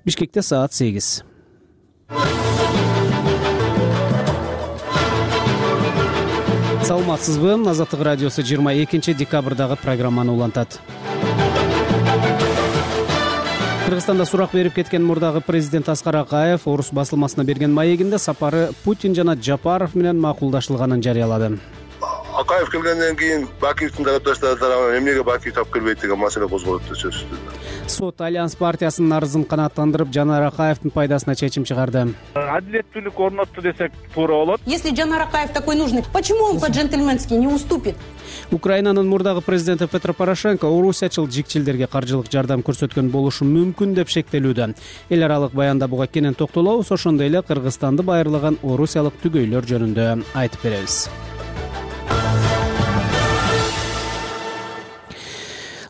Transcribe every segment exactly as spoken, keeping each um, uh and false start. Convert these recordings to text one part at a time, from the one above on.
Бишкекте саат сегиз. Саламатсызбы? Азаттык радиосу жыйырма экинчи декабрдагы программаны улантат. Кыргызстанда сурак берип кеткен мурдагы президент Аскар Акаев Орус басылмасына берген маегинде сапары Путин жана Жапаров менен макулдашылганын жарыялады. Акаев келгенден кийин Бакиевдин тарапташтары тарабынан эмнеге Бакиев таап келбейт деген маселе козголот деп сөзсүз. Сот Альянс партиясынын арызын канааттандырып, Жанар Акаевдин пайдасына чечим чыгарды. Адилеттүүлүк орнотту десек туура болот. Если Жанар Акаев такой нужный, почему он по-джентльменски не уступит? Украинанын мурдагы президенти Петро Порошенко орусиячыл жикчилдерге каржылык жардам көрсөткөн болушу мүмкүн деп шектелүүдө. Эл аралык баянда буга кенен токтолобуз, ошондой эле Кыргызстанды байырлаган орусиялык түгөйлөр жөнүндө айтып беребиз.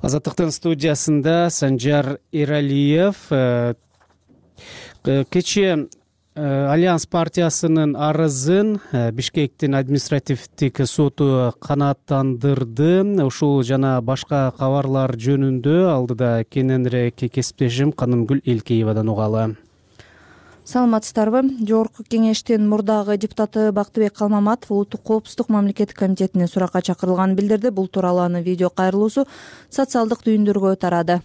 Азаттыктын студиясында Санжар Эралиев. Кечээ Альянс партиясынын арызын Бишкектин административдик соту канааттандырды. Ушул жана башка кабарлар жөнүндө алдыда кененирээк кесиптешим Канымгүл Элкеевадан угалы. Саламатсыздарбы? Жогорку кеңештин мурдагы депутаты Бактыбек Калмаматов Улуттук коопсуздук мамлекеттик комитетинин суракка чакырылганын билдирди. Бул тууралуу анын видео кайрылуусу социалдык түйүндөргө тарады.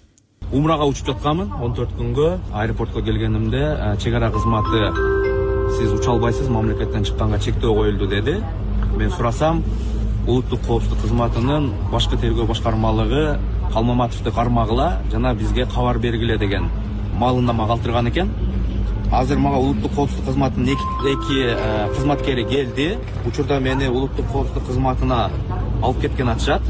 Умрага учуп жатканмын. он төрт күнгө аэропортко келгенимде чек ара кызматы сиз уча албайсыз, мамлекеттен чыкканга чектөө коюлду деди. Мен сурасам, Улуттук коопсуздук кызматынын башкы тергөө башкармалыгы Калмаматовду кармагыла жана бизге кабар бергиле деген маалымдама калтырган экен. Азыр мага Улуттук коопсуздук кызматынын эки кызматкери келди. Учурда мени Улуттук коопсуздук кызматына алып кеткен атышат.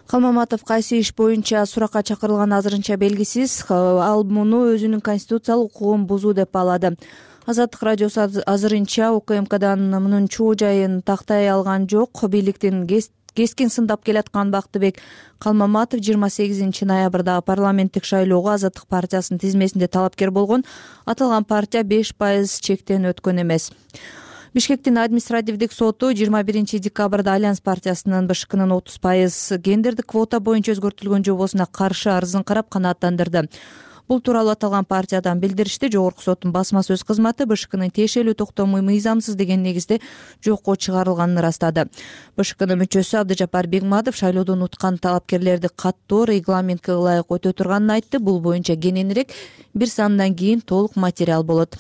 Калмаматов кайсы иш боюнча суракка чакырылганы азырынча белгисиз. Ал муну өзүнүн конституциялык укугун бузуу деп баалады. Азаттык радиосу азырынча УКМКдан мунун чоо жайын тактай алган жок. Бийликтин кескин сындап келаткан Бактыбек Калмаматов жыйырма сегизинчи ноябрдагы парламенттик шайлоого Азаттык партиясынын тизмесинде талапкер болгон. Аталган партия беш пайыз чектен өткөн эмес. Бишкектин административдик соту жыйырма биринчи декабрда Альянс партиясынын БШКнын отуз пайыз гендердик квота боюнча өзгөртүлгөн жобосуна каршы арызын карап канааттандырды. Бул тууралуу аталган партиядан билдиришти. Жогорку соттун басма сөз кызматы БШКнын тиешелүү токтому мыйзамсыз деген негизде жокко чыгарылганын ырастады. БШКнын мүчөсү Абдыжапар Бегматов шайлоодон уткан талапкерлерди каттоо регламентке ылайык өтө турганын айтты. Бул боюнча кененирээк бир сандан кийин толук материал болот.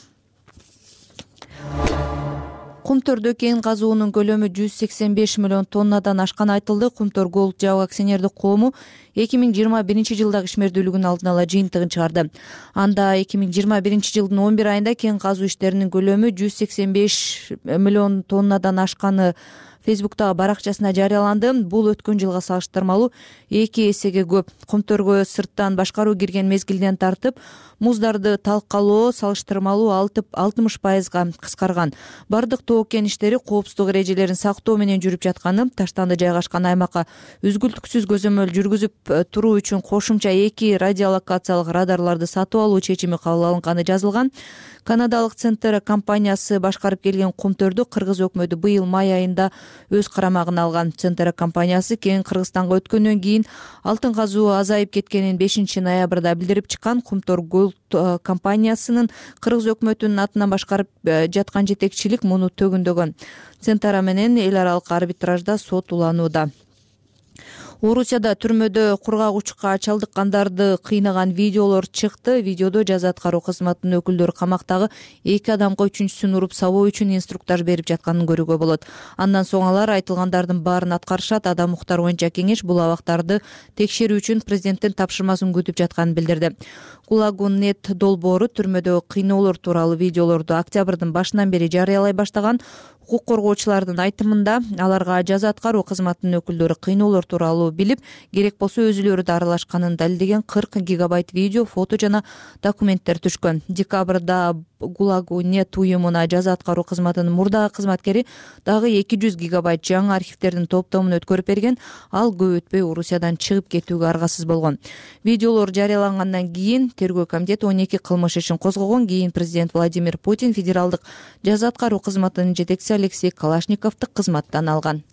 Кумтөрдө кен казуунун көлөмү жүз сексен беш миллион тоннадан ашканы айтылды. Кумтөр Голд Жабык акционердик коому эки миң жыйырма биринчи жылдагы ишмердүүлүгүнүн алдын ала жыйынтыгын чыгарды. Анда эки миң жыйырма биринчи жылдын он бир айында кен казуу иштеринин көлөмү жүз сексен беш миллион тоннадан ашканы Фейсбуктагы баракчасына жарыяланды. Бул өткөн жылга салыштырмалуу эки эсеге көп. Кумтөргө сырттан башкаруу кирген мезгилден тартып муздарды талкалоо салыштырмалуу алтымыш пайызга кыскарган. Бардык тоо кен иштери коопсуздук эрежелерин сактоо менен жүрүп жатканы, таштанды жайгашкан аймакка үзгүлтүксүз көзөмөл жүргүзүп туруу үчүн кошумча эки радиолокациялык радарларды сатып алуу чечими кабыл алынганы жазылган. Канадалык Центр компаниясы башкарып келген Кумтөрдү кыргыз өкмөтү быйыл май айында өз карамагына алган. Центр компаниясы кен Кыргызстанга өткөндөн кийин алтын казуу азайып кеткенин бешинчи ноябрда билдирип чыккан. Кумтөр Голд компаниясынын кыргыз өкмөтүнүн атынан башкарып жаткан жетекчилик муну төгүндөгөн. Центр менен эл аралык арбитражда сот уланууда. Орусияда түрмөдө кургагучка чалдыккандарды кыйнаган видеолор чыкты. Видеодо жаза аткаруу кызматынын өкүлдөрү камактагы эки адамга үчүнчүсүн уруп сабоо үчүн инструктаж берип жатканын көрүүгө болот. Андан соң алар айтылгандардын баарын аткарышат. Адам Муктар боюнча кеңеш бул абактарды текшерүү үчүн президенттин тапшырмасын күтүп жатканын билдирди. Гулагунет долбоору түрмөдө кыйноолор тууралуу видеолорду октябрдын башынан бери жарыялай баштаган. Укук коргоочулардын айтымында аларга жаза аткаруу кызматынын өкүлдөрү кыйноолор тууралуу билип, керек болсо өзүлөрү да аралашканын далилдеген кырк гигабайт видео, фото жана документтер түшкөн. Декабрда Гулагунет уюмуна жаза аткаруу кызматынын мурдагы кызматкери дагы эки жүз гигабайт жаңы архивтердин топтомун өткөрүп берген. Ал көп өтпөй Орусиядан чыгып кетүүгө аргасыз болгон. Видеолор жарыялангандан кийин тергөө комитети он эки кылмыш ишин козгогон. Кийин президент Владимир Путин федералдык жаза аткаруу кызматынын жетекчиси Алексей Калашниковду кызматтан алган.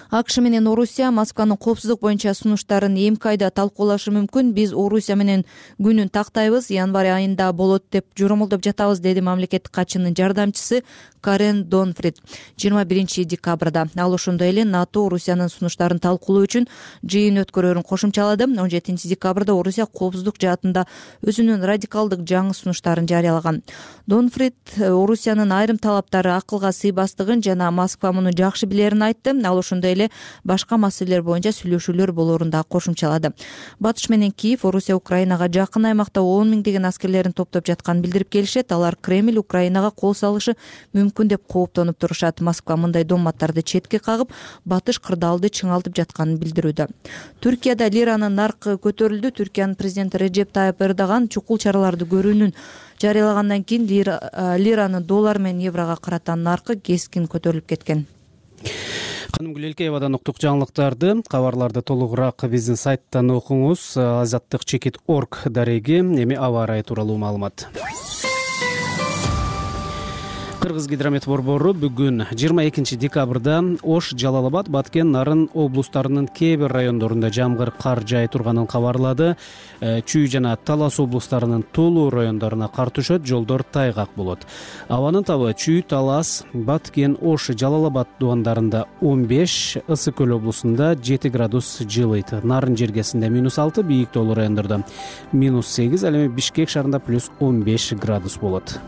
АКШ менен Орусия Москванын коопсуздук боюнча сунуштарын эмки айда талкуулашы мүмкүн. Биз Орусия менен күнүн тактайбыз, январь айында болот деп жоромолдоп жатабыз, деди мамлекеттик катчынын жардамчысы Карен Донфрид жыйырма биринчи декабрда. Ал ошондой эле НАТО Орусиянын сунуштарын талкуулоо үчүн жыйын өткөрөрүн кошумчалады. он жетинчи декабрда Орусия коопсуздук жаатында өзүнүн радикалдык жаңы сунуштарын жарыялаган. Донфрид Орусиянын айрым талаптары акылга сыйбастыгын жана Москва муну жакшы билерин айтты. Ал ошондой эле башка маселелер боюнча сүйлөшүүлөр болоорун да кошумчалады. Батыш менен Киев Орусия Украинага жакын аймакта он миңдеген аскерлерин топтоп жатканын билдирип келишет. Алар Кремль Украинага кол салышы мүмкүн деп кооптонуп турушат. Москва мындай доматтарды четке кагып, Батыш кырдаалды чыңалтып жатканын билдирүүдө. Түркияда лиранын наркы көтөрүлдү. Түркиянын президенти Реджеп Тайып Эрдоган чукул чараларды көрүүнүн жарыялагандан кийин лиранын доллар менен еврого карата наркы кескин көтөрүлүп кеткен. Канымгүл Элкеевадан уктук жаңылыктарды. Кабарларды толугураак биздин сайттан окуңуз. азаттык чекит точка орг дареги. Эми аба ырайы тууралуу маалымат. Кыргыз гидромет борбору бүгүн жыйырма экинчи декабрда Ош, Жалал Абад, Баткен, Нарын облустарынын кээ бир райондорунда жамгыр кар жаай турганын кабарлады. Чүй жана Талас облустарынын толуу райондоруна кар түшөт, жолдор тайгак болот. Абанын табы Чүй, Талас, Баткен, Ош, Жалал Абад дубандарында он беш, Ысык көл облусунда жети градус жылыйт. Нарын жергесинде минус алты, бийик тоолуу райондордо минус сегиз, ал эми Бишкек шаарында плюс он беш градус болот.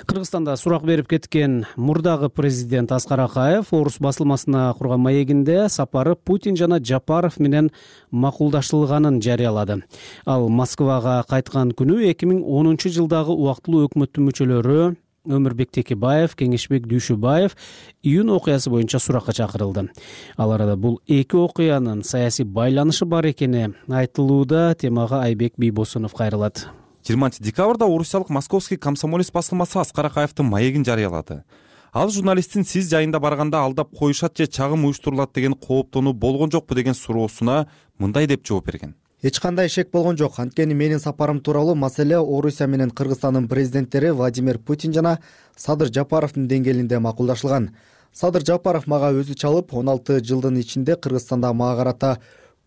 Кыргызстанда сурак берип кеткен мурдагы президент Аскар Акаев Орус басылмасына курган маегинде сапары Путин жана Жапаров менен макулдаштырылганын жарыялады. Ал Москвага кайткан күнү эки миң онунчу жылдагы убактылуу өкмөттүн мүчөлөрү Өмүрбек Текебаев, Кеңешбек Дүйшүбаев июнь окуясы боюнча суракка чакырылды. Ал арада бул эки окуянын саясий байланышы бар экени айтылууда. Темага Айбек Бийбосунов кайрылат. жыйырманчы декабрда орусиялык Московский комсомолец басылмасы Аскар Акаевдин маегин жарыялады. Ал журналисттин сиз жайында барганда алдап коюшат же чагым уюштурулат деген кооптонуу болгон жокпу деген суроосуна мындай деп жооп берген. Эч кандай шек болгон жок. Анткени менин сапарым тууралуу маселе Орусия менен Кыргызстандын президенттери Владимир Путин жана Садыр Жапаровдун деңгээлинде макулдашылган. Садыр Жапаров мага өзү чалып, он алты жылдын ичинде Кыргызстанда мага карата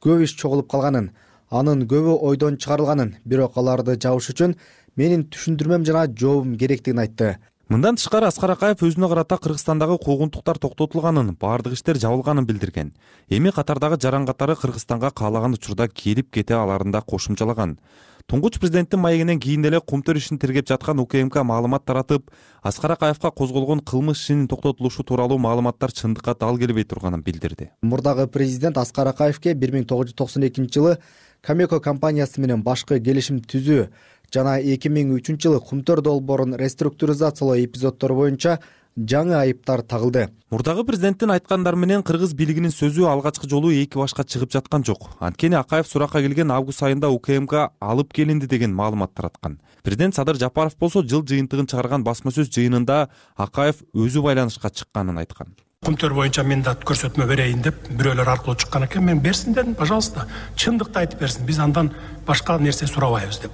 көп иш чогулуп калганын, анын көбү ойдон чыгарылганын, бирок аларды жабыш үчүн менин түшүндүрмөм жана жообум керектигин айтты. Мындан тышкары Аскар Акаев өзүнө карата Кыргызстандагы куугунтуктар токтотулганын, баардык иштер жабылганын билдирген. Эми катардагы жаран катары Кыргызстанга каалаган учурда келип кете аларын да кошумчалаган. Туңгуч президенттин маегинен кийин эле Кумтөр ишин тергеп жаткан УКМК маалымат таратып, Аскар Акаевга козголгон кылмыш ишинин токтотулушу тууралуу маалыматтар чындыкка дал келбей турганын билдирди. Мурдагы президент Аскар Акаевге бир миң тогуз жүз токсон экинчи жылы Камеко компаниясы менен башкы келишим түзүү жана эки миң үчүнчү жылы Кумтөр долбоорун реструктуризациялоо эпизоддору боюнча жаңы айыптар тагылды. Мурдагы президенттин айткандары менен кыргыз бийлигинин сөзү алгачкы жолу эки башка чыгып жаткан жок. Анткени Акаев суракка келген август айында УКМК алып келинди деген маалымат тараткан. Президент Садыр Жапаров болсо жыл жыйынтыгын чыгарган басма сөз жыйынында Акаев өзү байланышка чыкканын айткан. Кумтөр боюнча мен да көрсөтмө берейин деп бирөөлөр аркылуу чыккан экен. Мен берсин дедим, пожалуйста, чындыкты айтып берсин. Биз андан башка нерсе сурабайбыз деп.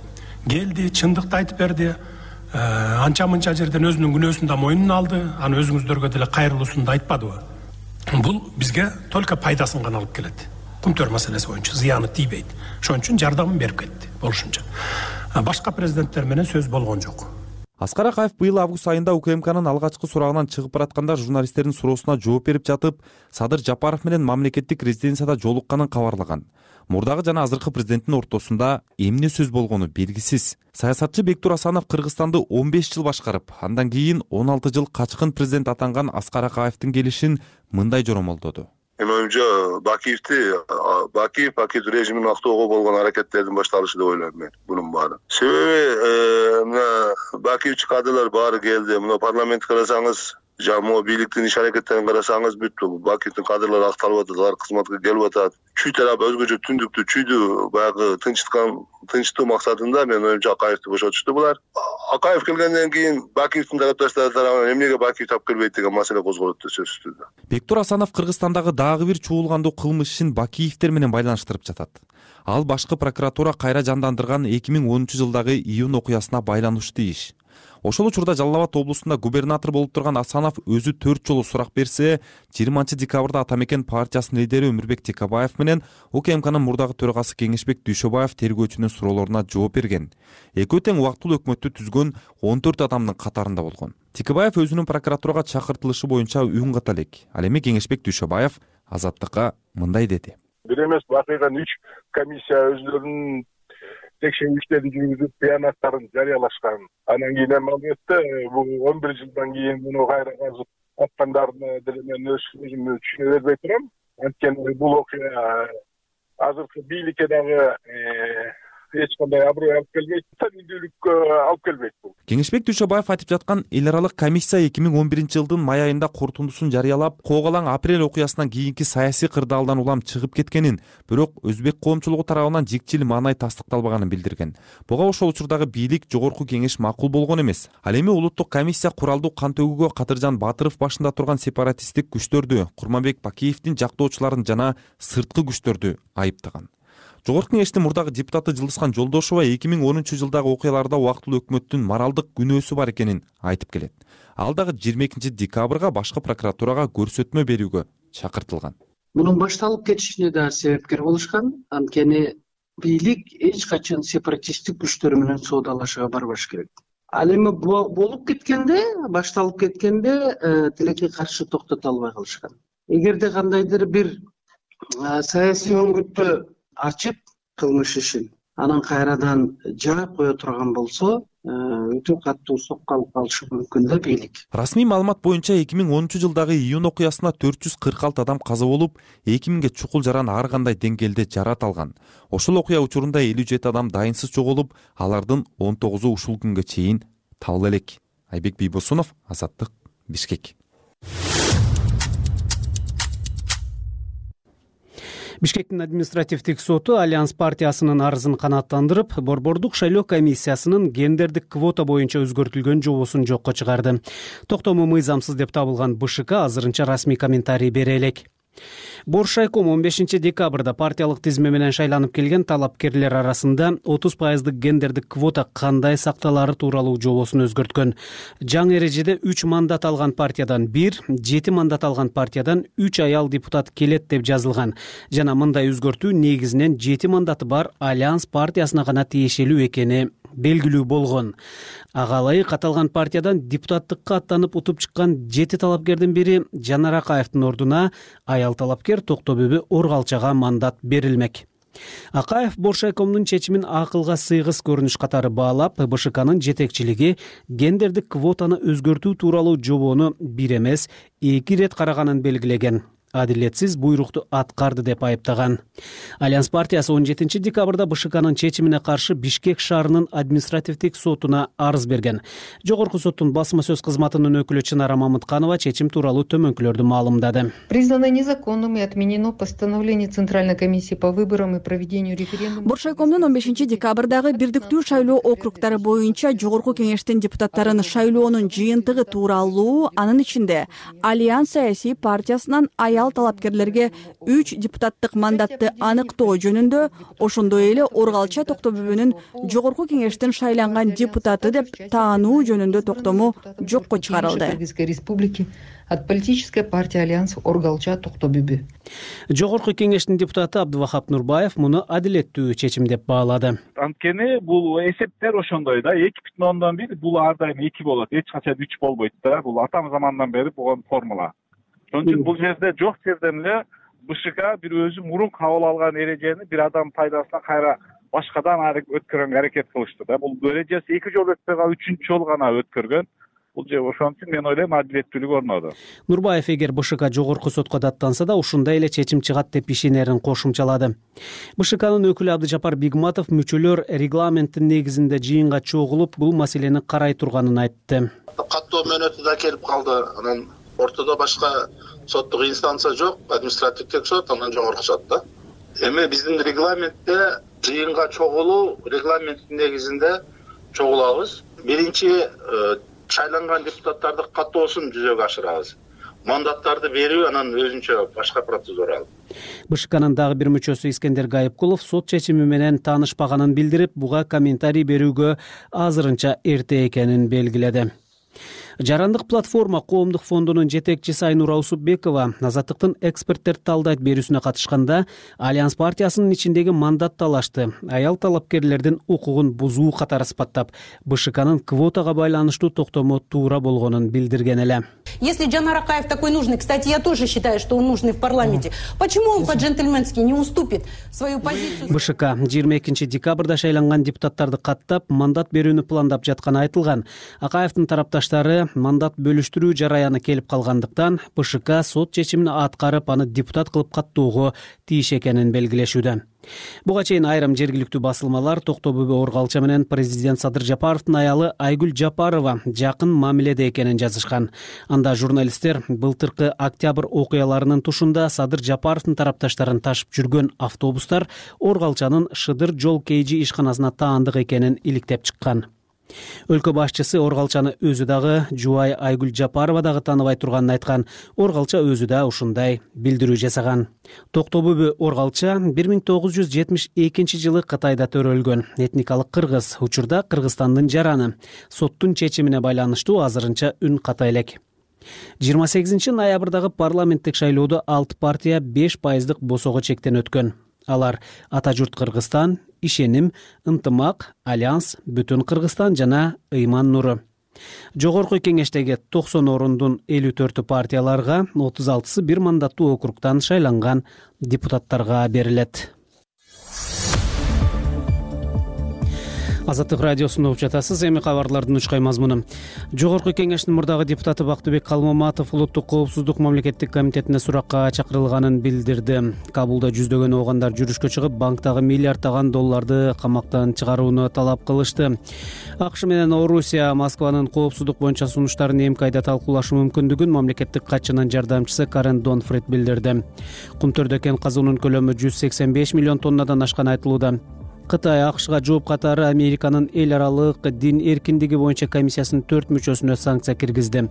Келди, чындыкты айтып берди. Анча-мынча жерден өзүнүн күнөөсүн да мойнуна алды. Аны өзүңүздөргө деле кайрылуусун да айтпадыбы? Бул бизге только пайдасын гана алып келет. Кумтөр маселеси боюнча зыяны тийбейт. Ошон үчүн жардамын берип кетти болушунча. Башка президенттер менен сөз болгон жок. Аскар Акаев быйыл август айында УКМКнын алгачкы сурагынан чыгып баратканда журналисттердин суроосуна жооп берип жатып, Садыр Жапаров менен мамлекеттик резиденцияда жолукканын кабарлаган. Мурдагы жана азыркы президенттин ортосунда эмне сөз болгону белгисиз. Саясатчы Бектур Асанов Кыргызстанды он беш жыл башкарып, андан кийин он алты жыл качкын президент атанган Аскар Акаевдин келишин мындай жоромолдоду. Менин оюмча Бакиевди Бакиев Бакиев режимин актоого болгон аракеттердин башталышы деп ойлойм мен бунун баары. Себеби мына Бакиевчи кадрлар баары келди. Мына парламентти карасаңыз, жамоо бийликтин иш аракеттерин карасаңыз бүттү. Бакиевдин кадрлары акталып атат, алар кызматка келип атат. Чүй тарап өзгөчө түндүктү, чүйдү баягы тынчыткан тынчтоо максатында мен оюмча Акаевди бошотушту булар. Акаев келгенден кийин Бакиевдин тарапташтары тарабынан эмнеге Бакиев таап келбейт деген маселе козголот да сөзсүз. Бектур Асанов Кыргызстандагы дагы бир чуулгандуу кылмыш ишин Бакиевдер менен байланыштырып жатат. Ал башкы прокуратура кайра жандандырган эки миң онунчу жылдагы июнь окуясына байланыштуу иш. Ошол учурда Жалал Абад облусунда губернатор болуп турган Асанов өзү төрт жолу сурак берсе, жыйырманчы декабрда Ата Мекен партиясынын лидери Өмүрбек Текебаев менен УКМКнын мурдагы төрагасы Кеңешбек Дүйшөбаев тергөөчүнүн суроолоруна жооп берген. Экөө тең убактылуу өкмөттү түзгөн он төрт адамдын катарында болгон. Текебаев өзүнүн прокуратурага чакыртылышы боюнча үн ката элек. Ал эми Кеңешбек Дүйшөбаев Азаттыкка мындай деди. Бир эмес бакыйган үч комиссия өздөрүнүн текшерүү иштерин жүргүзүп, баянаттарын жарыялашкан. Анан кийин эми албетте бул он бир жылдан кийин муну кайра казып аткандарына деле мен өзүмө түшүнө бербей турам. Анткени бул окуя азыркы бийликке дагы эч кандай аброй алып келбейт, табийдүүлүккө алып келбейт бул. Кеңешбек Дүйшөбаев айтып жаткан эл аралык комиссия эки миң он биринчи жылдын май айында корутундусун жарыялап, Коогалаң апрель окуясынан кийинки саясий кырдаалдан улам чыгып кеткенин, бирок өзбек коомчулугу тарабынан жикчил маанай тастыкталбаганын билдирген. Буга ошол учурдагы бийлик жогорку кеңеш макул болгон эмес. Ал эми улуттук комиссия куралдуу кан төгүүгө Кадыржан Батыров башында турган сепаратисттик күчтөрдү, Курманбек Бакиевдин жактоочуларын жана сырткы күчтөрдү айыптаган. Жогорку кеңештин мурдагы депутаты Жылдызхан Жолдошова эки миң онунчу жылдагы окуяларда убактылуу өкмөттүн моралдык күнөөсү бар экенин айтып келет. Ал дагы жыйырма экинчи декабрга башкы прокуратурага көрсөтмө берүүгө чакыртылган. Мунун башталып кетишине да себепкер болушкан. Анткени бийлик эч качан сепаратисттик күчтөр менен соодалашууга барбаш керек. Ал эми болуп кеткенде, башталып кеткенде тилекке каршы токтото албай калышкан. Эгерде кандайдыр бир саясий өңгүттү ачып кылмыш ишин анан кайрадан жаап кое турган болсо, өтө катуу сокко алып калышы мүмкүн да бийлик. Расмий маалымат боюнча эки миң онунчу жылдагы июнь окуясына төрт жүз кырк алты адам каза болуп, эки миңге чукул жаран ар кандай деңгээлде жарат алган. Ошол окуя учурунда элүү жети адам дайынсыз жоголуп, алардын он тогузу ушул күнгө чейин табыла элек. Айбек Бийбосунов, Азаттык, Бишкек. Бишкектин административдик соту Альянс партиясынын арызын канааттандырып, борбордук шайлоо комиссиясынын гендердик квота боюнча өзгөртүлгөн жобосун жокко чыгарды. Токтому мыйзамсыз деп табылган БШК азырынча расмий комментарий бере элек. Боршайком он бешинчи декабрда партиялык тизме менен шайланып келген талапкерлер арасында отуз пайыздык гендердик квота кандай сакталары тууралуу жобосун өзгөрткөн. Жаңы эрежеде үч мандат алган партиядан бир, жети мандат алган партиядан үч аял депутат келет деп жазылган. Жана мындай өзгөртүү негизинен жети мандаты бар Альянс партиясына гана тиешелүү экени белгилүү болгон. Ага ылайык аталган партиядан депутаттыкка аттанып утуп чыккан жети талапкердин бири Жанар Акаевдин ордуна аял талапкер Токтобүбү Оргалчага мандат берилмек. Акаев Боршайкомдун чечимин акылга сыйгыс көрүнүш катары баалап, БШКнын жетекчилиги гендердик квотаны өзгөртүү тууралуу жобону бир эмес, эки ирет караганын белгилеген. Адилетсиз буйрукту аткарды деп айыптаган. Альянс партиясы он жетинчи декабрда БШКнын чечимине каршы Бишкек шаарынын административдик сотуна арыз берген. Жогорку соттун басма сөз кызматынын өкүлү Чынара Мамытканова чечим тууралуу төмөнкүлөрдү маалымдады. Признано незаконным и отменено постановление Центральной комиссии по выборам и проведению референдума. Боршайкомдун он бешинчи декабрдагы бирдиктүү шайлоо округдары боюнча жогорку кеңештин депутаттарын шайлоонун жыйынтыгы тууралуу, анын ичинде Альянс саясий партиясынан аял талапкерлерге үч депутаттык мандатты аныктоо жөнүндө, ошондой эле Оргалча Токтобүбүнүн жогорку кеңештин шайланган депутаты деп таануу жөнүндө токтому жокко чыгарылды. Кыргызской республики от политической партии Альянс Оргалча Токтобүбү. Жогорку кеңештин депутаты Абдывахап Нурбаев муну адилеттүү чечим деп баалады. Анткени бул эсептер ошондой да, эки бүтүн ондон бир бул ар дайым эки болот, эч качан үч болбойт да. Бул атам замандан бери болгон формула. Ошон үчүн бул жерде жок жерден эле БШК бир өзү мурун кабыл алган эрежени бир адам пайдасына кайра башкадан өткөргөнгө аракет кылышты да. Бул эрежеси эки жолу өтпөй калып үчүнчү жолу гана өткөргөн. Бул же ошон үчүн мен ойлойм адилеттүүлүк орноду. Нурбаев эгер БШК жогорку сотко даттанса да ушундай эле чечим чыгат деп ишенерин кошумчалады. БШКнын өкүлү Абдыжапар Бигматов мүчөлөр регламенттин негизинде жыйынга чогулуп бул маселени карай турганын айтты. Каттоо мөөнөтү да келип калды. Анан ортодо башка соттук инстанция жок, административдик сот, анан жогорку сот да. Эми биздин регламентте жыйынга чогулуу регламенттин негизинде чогулабыз. Биринчи шайланган депутаттарды каттоосун жүзөгө ашырабыз. мандаттарды берүү анан өзүнчө башка процедура. БШКнын дагы бир мүчөсү Искендер Гайыпкулов сот чечими менен таанышпаганын билдирип, буга комментарий берүүгө азырынча эрте экенин белгиледи. Жарандык платформа коомдук фондунун жетекчиси Айнура Усупбекова Азаттыктын эксперттерди талдайт берүүсүнө катышканда Альянс партиясынын ичиндеги мандат талашты аял талапкерлердин укугун бузуу катары сыпаттап, БШКнын квотага байланыштуу токтому туура болгонун билдирген эле. Если Джанар Акаев такой нужный, кстати, я тоже считаю, что он нужный в парламенте, почему он по-джентльменски не уступит свою позицию? БШК жыйырма экинчи декабрда шайланган депутаттарды каттап, мандат берүүнү пландап жатканы айтылган. Акаевдин тарапташтары мандат бөлүштүрүү жараяны келип калгандыктан БШК сот чечимин аткарып, аны депутат кылып каттоого тийиш экенин белгилешүүдө. Буга чейин айрым жергиликтүү басылмалар Токтобөбө Оргалча менен президент Садыр Жапаровдун аялы Айгүл Жапарова жакын мамиледе экенин жазышкан. Анда журналисттер былтыркы октябрь окуяларынын тушунда Садыр Жапаровдун тарапташтарын ташып жүргөн автобустар Оргалчанын Шыдыр жол кейжи ишканасына таандык экенин иликтеп чыккан. Өлкө башчысы Оргалчаны өзү дагы, жубай Айгүл Жапарова дагы тааныбай турганын айткан. Оргалча өзү да ушундай билдирүү жасаган. Токтобөбө Оргалча бир миң тогуз жүз жетимиш экинчи жылы Кытайда төрөлгөн. Этникалык кыргыз, учурда Кыргызстандын жараны. Соттун чечимине байланыштуу азырынча үн ката элек. жыйырма сегизинчи ноябрдагы парламенттик шайлоодо алты партия беш пайыздык босого чектен өткөн. Алар Ата журт Кыргызстан, Ишеним, Ынтымак, Альянс, Бүтүн Кыргызстан жана Ыйман нуру. Жогорку кеңештеги токсон орундун элүү төртү партияларга, отуз алтысы бир мандаттуу округтан шайланган депутаттарга берилет. Азаттык радиосунда угуп жатасыз. Эми кабарлардын учкай мазмуну. Жогорку кеңештин мурдагы депутаты Бактыбек Калмаматов Улуттук коопсуздук мамлекеттик комитетине суракка чакырылганын билдирди. Кабулда жүздөгөн оогандар жүрүшкө чыгып, банктагы миллиарддаган долларды камактан чыгарууну талап кылышты. АКШ менен Орусия Москванын коопсуздук боюнча сунуштарын эмки айда талкуулашы мүмкүндүгүн мамлекеттик катчынын жардамчысы Карен Донфрид билдирди. Кумтөрдө кен казуунун көлөмү жүз сексен беш миллион тоннадан ашканы айтылууда. Кытай АКШга жооп катары Американын эл аралык дин эркиндиги боюнча комиссиясынын төрт мүчөсүнө санкция киргизди.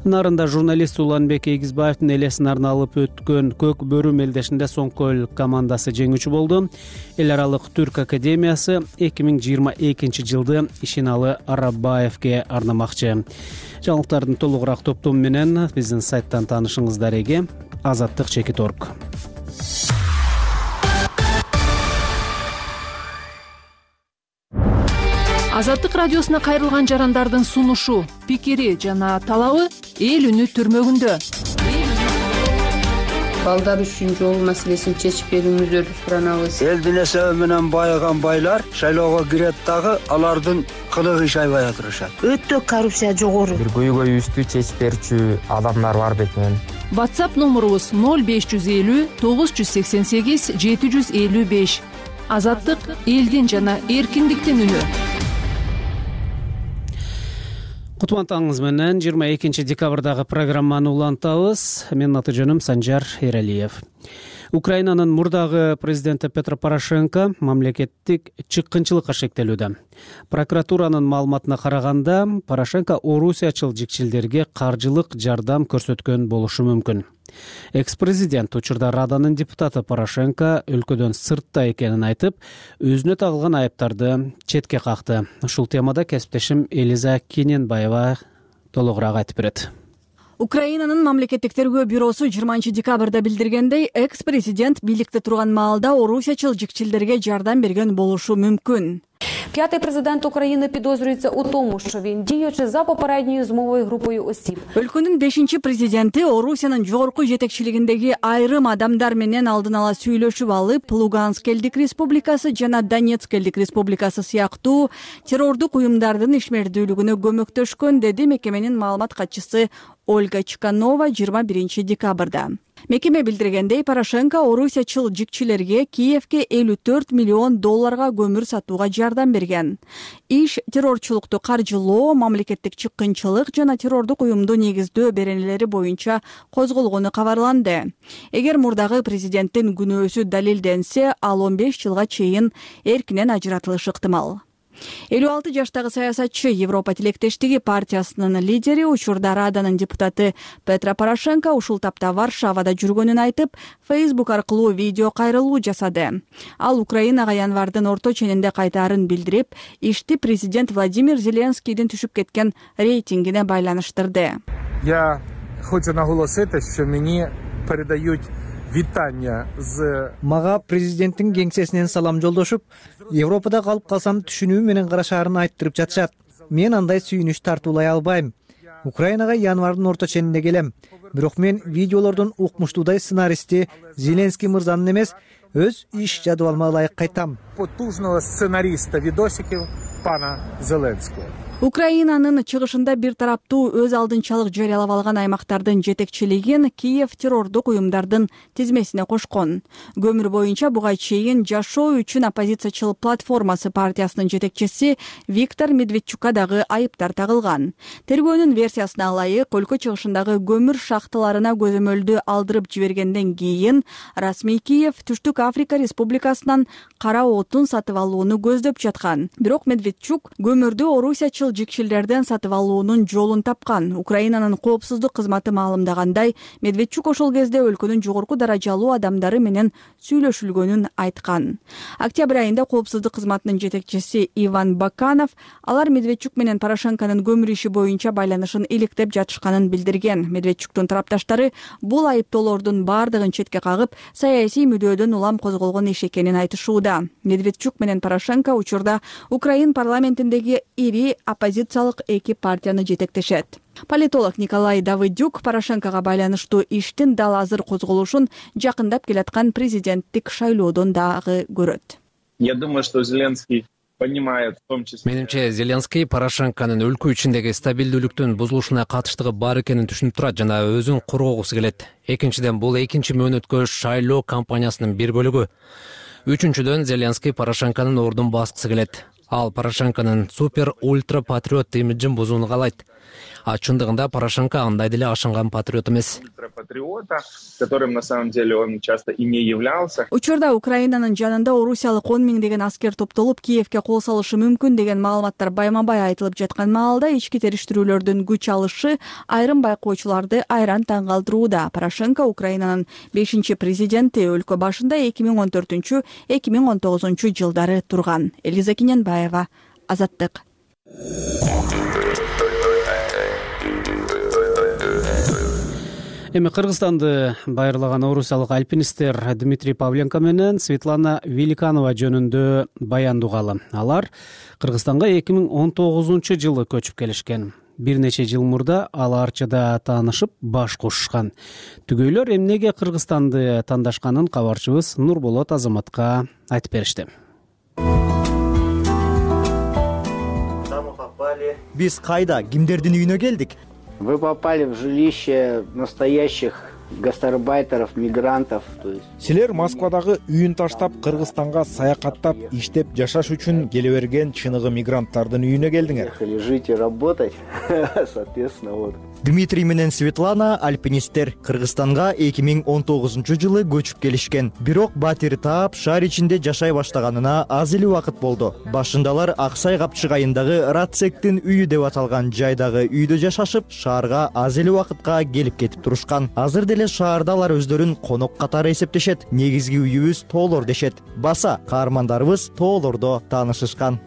Нарында журналист Уланбек Эгизбаевдин элесин арналып өткөн Көк бөрү мелдешинде Соңкөл командасы жеңүүчү болду. Эл аралык түрк академиясы эки миң жыйырма экинчи жылды Ишеналы Арабаевге арнамакчы. Жаңылыктардын толугураак топтому менен биздин сайттан таанышыңыздар эге. Азаттык чекит точка орг. Азаттык радиосуна кайрылган жарандардын сунушу, пикири жана талабы эл үнү түрмөгүндө. Балдар үчүн жол маселесин чечип берүүңүздөрдү суранабыз. Элдин эсеби менен байыган байлар шайлоого кирет дагы, алардын кылыгы иш айбай отурушат. Өтө коррупция жогору. Бир көйгөйүбүздү чечип берүүчү адамдар бар бекен. WhatsApp номурубуз ноль беш жүз элүү тогуз жүз сексен сегиз жети жүз элүү беш. Азаттык элдин жана эркиндиктин үнү. Кутмантаңыз менен жыйырма экинчи декабрдагы программаны улантабыз. Менин аты жөнүм Санжар Эралиев. Украинанын мурдагы президенти Петро Порошенко мамлекеттик чыккынчылыкка шектелүүдө. Прокуратуранын маалыматына караганда, Порошенко орусиячыл жикчилдерге каржылык жардам көрсөткөн болушу мүмкүн. Экс-президент учурда Раданын депутаты Порошенко өлкөдөн сыртта экенин айтып, өзүнө тагылган айыптарды четке какты. Ушул темада кесиптешим Элиза Кененбаева толугураак айтып берет. Украинанын мамлекеттик тергөө бюросу жыйырманчы декабрда билдиргендей, экс-президент бийликте турган маалда орусиячыл жикчилдерге жардам берген болушу мүмкүн. П'ятий президент України підозрюється у тому, що він, діючи за попередньою змовою групою осіб. Өлкөнүн бешинчи президенти Орусиянын жогорку жетекчилигиндеги айрым адамдар менен алдын ала сүйлөшүп алып, Луганск элдик республикасы жана Донецк элдик республикасы сыяктуу террордук уюмдардын ишмердүүлүгүнө көмөктөшкөн, деди мекеменин маалымат катчысы Ольга Чканова жыйырма биринчи декабрда. Мекеме билдиргендей, Порошенко орусиячыл жикчилерге Киевке элүү төрт миллион долларга көмүр сатууга жардам берген. Иш террорчулукту каржылоо, мамлекеттик чыккынчылык жана террордук уюмду негиздөө беренелери боюнча козголгону кабарланды. Эгер мурдагы президенттин күнөөсү далилденсе, ал он беш жылга чейин эркинен ажыратылышы ыктымал. элүү алты жаштагы саясатчы Европа тилектештиги партиясынын лидери, учурда Раданын депутаты Петро Порошенко ушул тапта Варшавада жүргөнүн айтып, Facebook аркылуу видео кайрылуу жасады. Ал Украинага январдын орто ченинде кайтаарын билдирип, ишти президент Владимир Зеленскийдин түшүп кеткен рейтингине байланыштырды. Я хочу наголосити, що мені передають вітання з Мага президенттин кеңсесинен салам жолдошуп, Европада калып калсам түшүнүү менен карашаарын айттырып жатышат. Мен андай сүйүнүч тартуулай албайм. Украинага январдын орто ченинде келем. Бирок мен видеолордун укмуштуудай сценаристи Зеленский мырзанын эмес, өз иш жадыбалыма ылайык кайтам. Потужного сценариста відосиків пана Зеленского. Украинанын чыгышында бир тараптуу өз алдынчалык жарыялап алган аймактардын жетекчилигин Киев террордук уюмдардын тизмесине кошкон. Көмүр боюнча буга чейин Жашоо үчүн оппозициячыл платформасы партиясынын жетекчиси Виктор Медведчукка дагы айыптар тагылган. Тергөөнүн версиясына ылайык, өлкө чыгышындагы көмүр шахталарына көзөмөлдү алдырып жибергенден кийин расмий Киев Түштүк Африка Республикасынан кара отун сатып алууну көздөп жаткан. Бирок Медведчук көмүрдү орусиячыл жикчилдерден сатып алуунун жолун тапкан. Украинанын коопсуздук кызматы маалымдагандай, Медведчук ошол кезде өлкөнүн жогорку даражалуу адамдары менен сүйлөшүлгөнүн айткан. Октябрь айында коопсуздук кызматынын жетекчиси Иван Баканов алар Медведчук менен Порошенконун көмүр иши боюнча байланышын иликтеп жатышканын билдирген. Медведчуктун тарапташтары бул айыптоолордун бардыгын четке кагып, саясий мүдөөдөн улам козголгон иш экенин айтышууда. Медведчук менен Порошенко учурда Украин парламентиндеги ири оппозициялык эки партияны жетектешет. Политолог Николай Давыдюк Порошенкога байланыштуу иштин дал азыр козголушун жакындап келаткан президенттик шайлоодон дагы көрөт. Я думаю, что Зеленский понимает в том числе. Менимче, Зеленский Порошенконун өлкө ичиндеги стабилдүүлүктүн бузулушуна катыштыгы бар экенин түшүнүп турат жана өзүн коргогусу келет. Экинчиден, бул экинчи мөөнөткө шайлоо кампаниясынын бир бөлүгү. Үчүнчүдөн, Зеленский Порошенконун ордун баскысы келет. Ал Порошенконун супер ультра патриот имиджин бузууну каалайт. А чындыгында Порошенко андай деле ашынган патриот эмес. Ультрапатриота, которым на самом деле он часто и не являлся. Учурда Украинанын жанында орусиялык он миңдеген аскер топтолуп Киевке кол салышы мүмкүн деген маалыматтар байма-бай айтылып жаткан маалда ички териштирүүлөрдүн күч алышы айрым байкоочуларды айран таң калтырууда. Порошенко Украинанын бешинчи президенти, өлкө башында эки миң он төртүнчү — эки миң он тогузунчу жылдары турган. Элиза Киненбаева, Азаттык. Эми Кыргызстанды байырлаган орусиялык альпинисттер Дмитрий Павленко менен Светлана Великанова жөнүндө баян угалы. Алар Кыргызстанга эки миң он тогузунчу жылы көчүп келишкен. Бир нече жыл мурда ал Арчада таанышып баш кошушкан. Түгөйлөр эмнеге Кыргызстанды тандашканын кабарчыбыз Нурболот Азаматка айтып беришти. Биз кайда, кимдердин үйүнө келдик? Вы попали в жилище настоящих гастарбайтеров, мигрантов. Силер Москвадагы үйүн таштап, Кыргызстанга саякаттап, иштеп жашаш үчүн келе берген чыныгы мигранттардын үйүнө келдиңер. Ехали жить и работать, соответственно, вот. Дмитрий менен Светлана альпинисттер Кыргызстанга эки миң он тогузунчу жылы көчүп келишкен. Бирок батир таап, шаар ичинде жашай баштаганына аз эле убакыт болду. Башындалар Аксай Капчык айындагы Рацектин үйү деп аталган жайдагы үйдө жашашып, шаарга аз эле убакытка келип кетип турушкан. Азыр деле шаарда алар өздөрүн конок катары эсептешет. Негизги үйүбүз тоолор дешет. Баса каармандарыбыз тоолордо таанышышкан.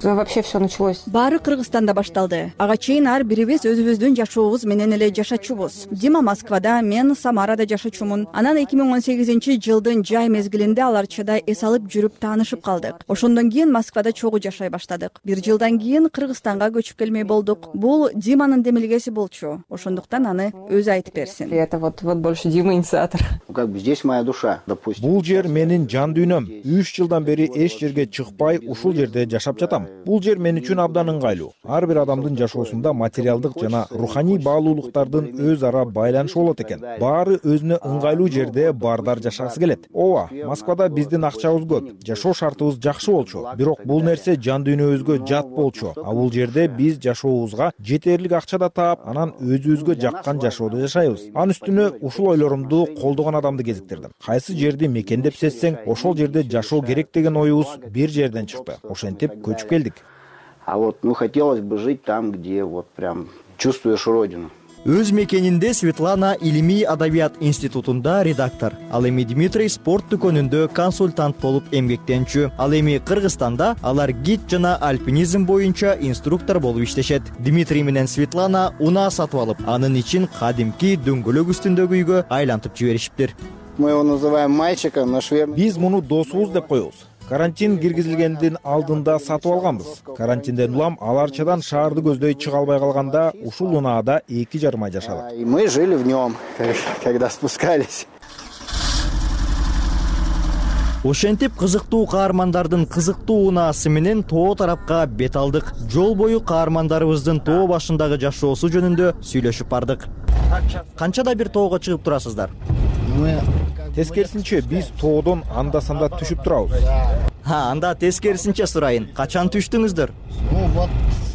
Вообще все началось. Баары Кыргызстанда башталды. Ага чейин ар бирибиз өзүбүздүн жашообуз менен эле жашачубуз. Дима Москвада, мен Самарада жашачумун. Анан эки миң он сегизинчи жылдын жай мезгилинде аларчада эс алып жүрүп таанышып калдык. Ошондон кийин Москвада чогуу жашай баштадык. Бир жылдан кийин Кыргызстанга көчүп келмей болдук. Бул Диманын демилгеси болчу. Ошондуктан аны өзү айтып берсин. Это вот вот больше Дима инициатор. Как бы здесь моя душа, допустим. Бул жер менин жан дүйнөм. үч жылдан бери эч жерге чыкпай, ушул жерде жашап жатам. Бул жер мен үчүн абдан ыңгайлуу. Ар бир адамдын жашоосунда материалдык жана руханий баалуулуктардын өз ара байланышы болот экен. Баары өзүнө ыңгайлуу жерде бардар жашагысы келет. Ооба, Москвада биздин акчабыз көп, жашоо шартыбыз жакшы болчу. Бирок бул нерсе жан дүйнөбүзгө жат болчу. А бул жерде биз жашообузга жетерлик акча да таап, анан өзүбүзгө жаккан жашоодо жашайбыз. Анын үстүнө ушул ойлорумду колдогон адамды кезиктирдим. Кайсы жерди мекендеп сезсең, ошол жерде жашоо керек деген оюбуз бир жерден чыкты. Ошентип көчүп келдик. А вот, ну, хотелось бы жить там, где вот прям чувствуешь родину. Өз мекенинде Светлана Илимий адабият институтунда редактор. Ал эми Дмитрий спорт дүкөнүндө консультант болуп эмгектенчү. Ал эми Кыргызстанда алар гид жана альпинизм боюнча инструктор болуп иштешет. Дмитрий менен Светлана унаа сатып алып, анын ичин кадимки дөңгөлөк үстүндөгү үйгө айлантып жиберишиптир. Мы его называем мальчиком, наш верный. Биз муну досубуз деп коебуз. Карантин киргизилгендин алдында сатып алганбыз. Карантинден улам ал арчадан шаарды көздөй чыга албай калганда ушул унаада эки жарым ай жашадык. И мы жили в нем, когда спускались. Ошентип кызыктуу каармандардын кызыктуу унаасы менен тоо тарапка бет алдык. Жол бою каармандарыбыздын тоо башындагы жашоосу жөнүндө сүйлөшүп бардык. Канчада бир тоого чыгып турасыздар? Тескерисинче биз тоодон анда-санда түшүп турабыз. Ha, анда тескерисинче сурайын. Качан түштүңүздөр?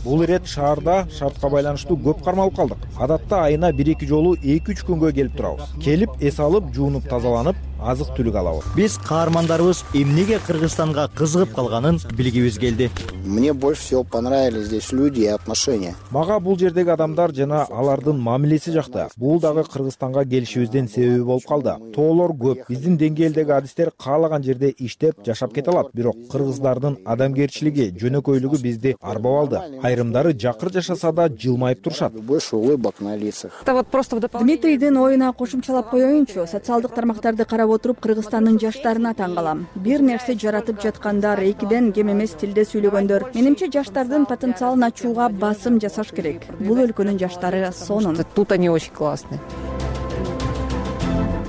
Бул ирет шаарда шартка байланыштуу көп кармалып калдык. Адатта айына бир-эки жолу эки үч күнгө келип турабыз. Келип эс алып, жуунуп тазаланып, азык-түлүк алабыз. Биз каармандарыбыз эмнеге Кыргызстанга кызыгып калганын билгибиз келди. Мне больше всего понравились здесь люди и отношения. Мага бул жердеги адамдар жана алардын мамилеси жакты. Бул дагы Кыргызстанга келишибиздин себеби болуп калды. Тоолор көп. Биздин деңгээлдеги адистер каалаган жерде иштеп, жашап кете алат. Бирок кыргыздардын адамгерчилиги, жөнөкөйлүгү бизди арбап алды. Айрымдары жакыр жашаса да жылмайып турушат. Больше улыбок на лицах. Дмитрийдин оюна кошумчалап коеюнчу, социалдык тармактарды карап отуруп Кыргызстандын жаштарына таң калам. Бир нерсе жаратып жаткандар, экиден кем эмес тилде сүйлөгөндөр. Менимче жаштардын потенциалын ачууга басым жасаш керек. Бул өлкөнүн жаштары сонун. Тут они очень классные.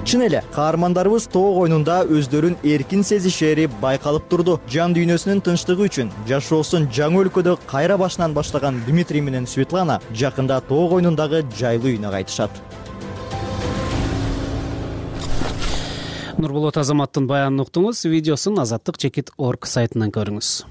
Чын эле, каармандарыбыз тоо койнунда өздөрүн эркин сезишери байкалып турду. Жан дүйнөсүнүн тынчтыгы үчүн жашоосун жаңы өлкөдө кайра башынан баштаган Дмитрий менен Светлана жакында тоо койнундагы жайлуу үйүнө кайтышат. Нурболот Азаматтын баянын уктуңуз, видеосун азаттык чекит точка орг сайтынан көрүңүз.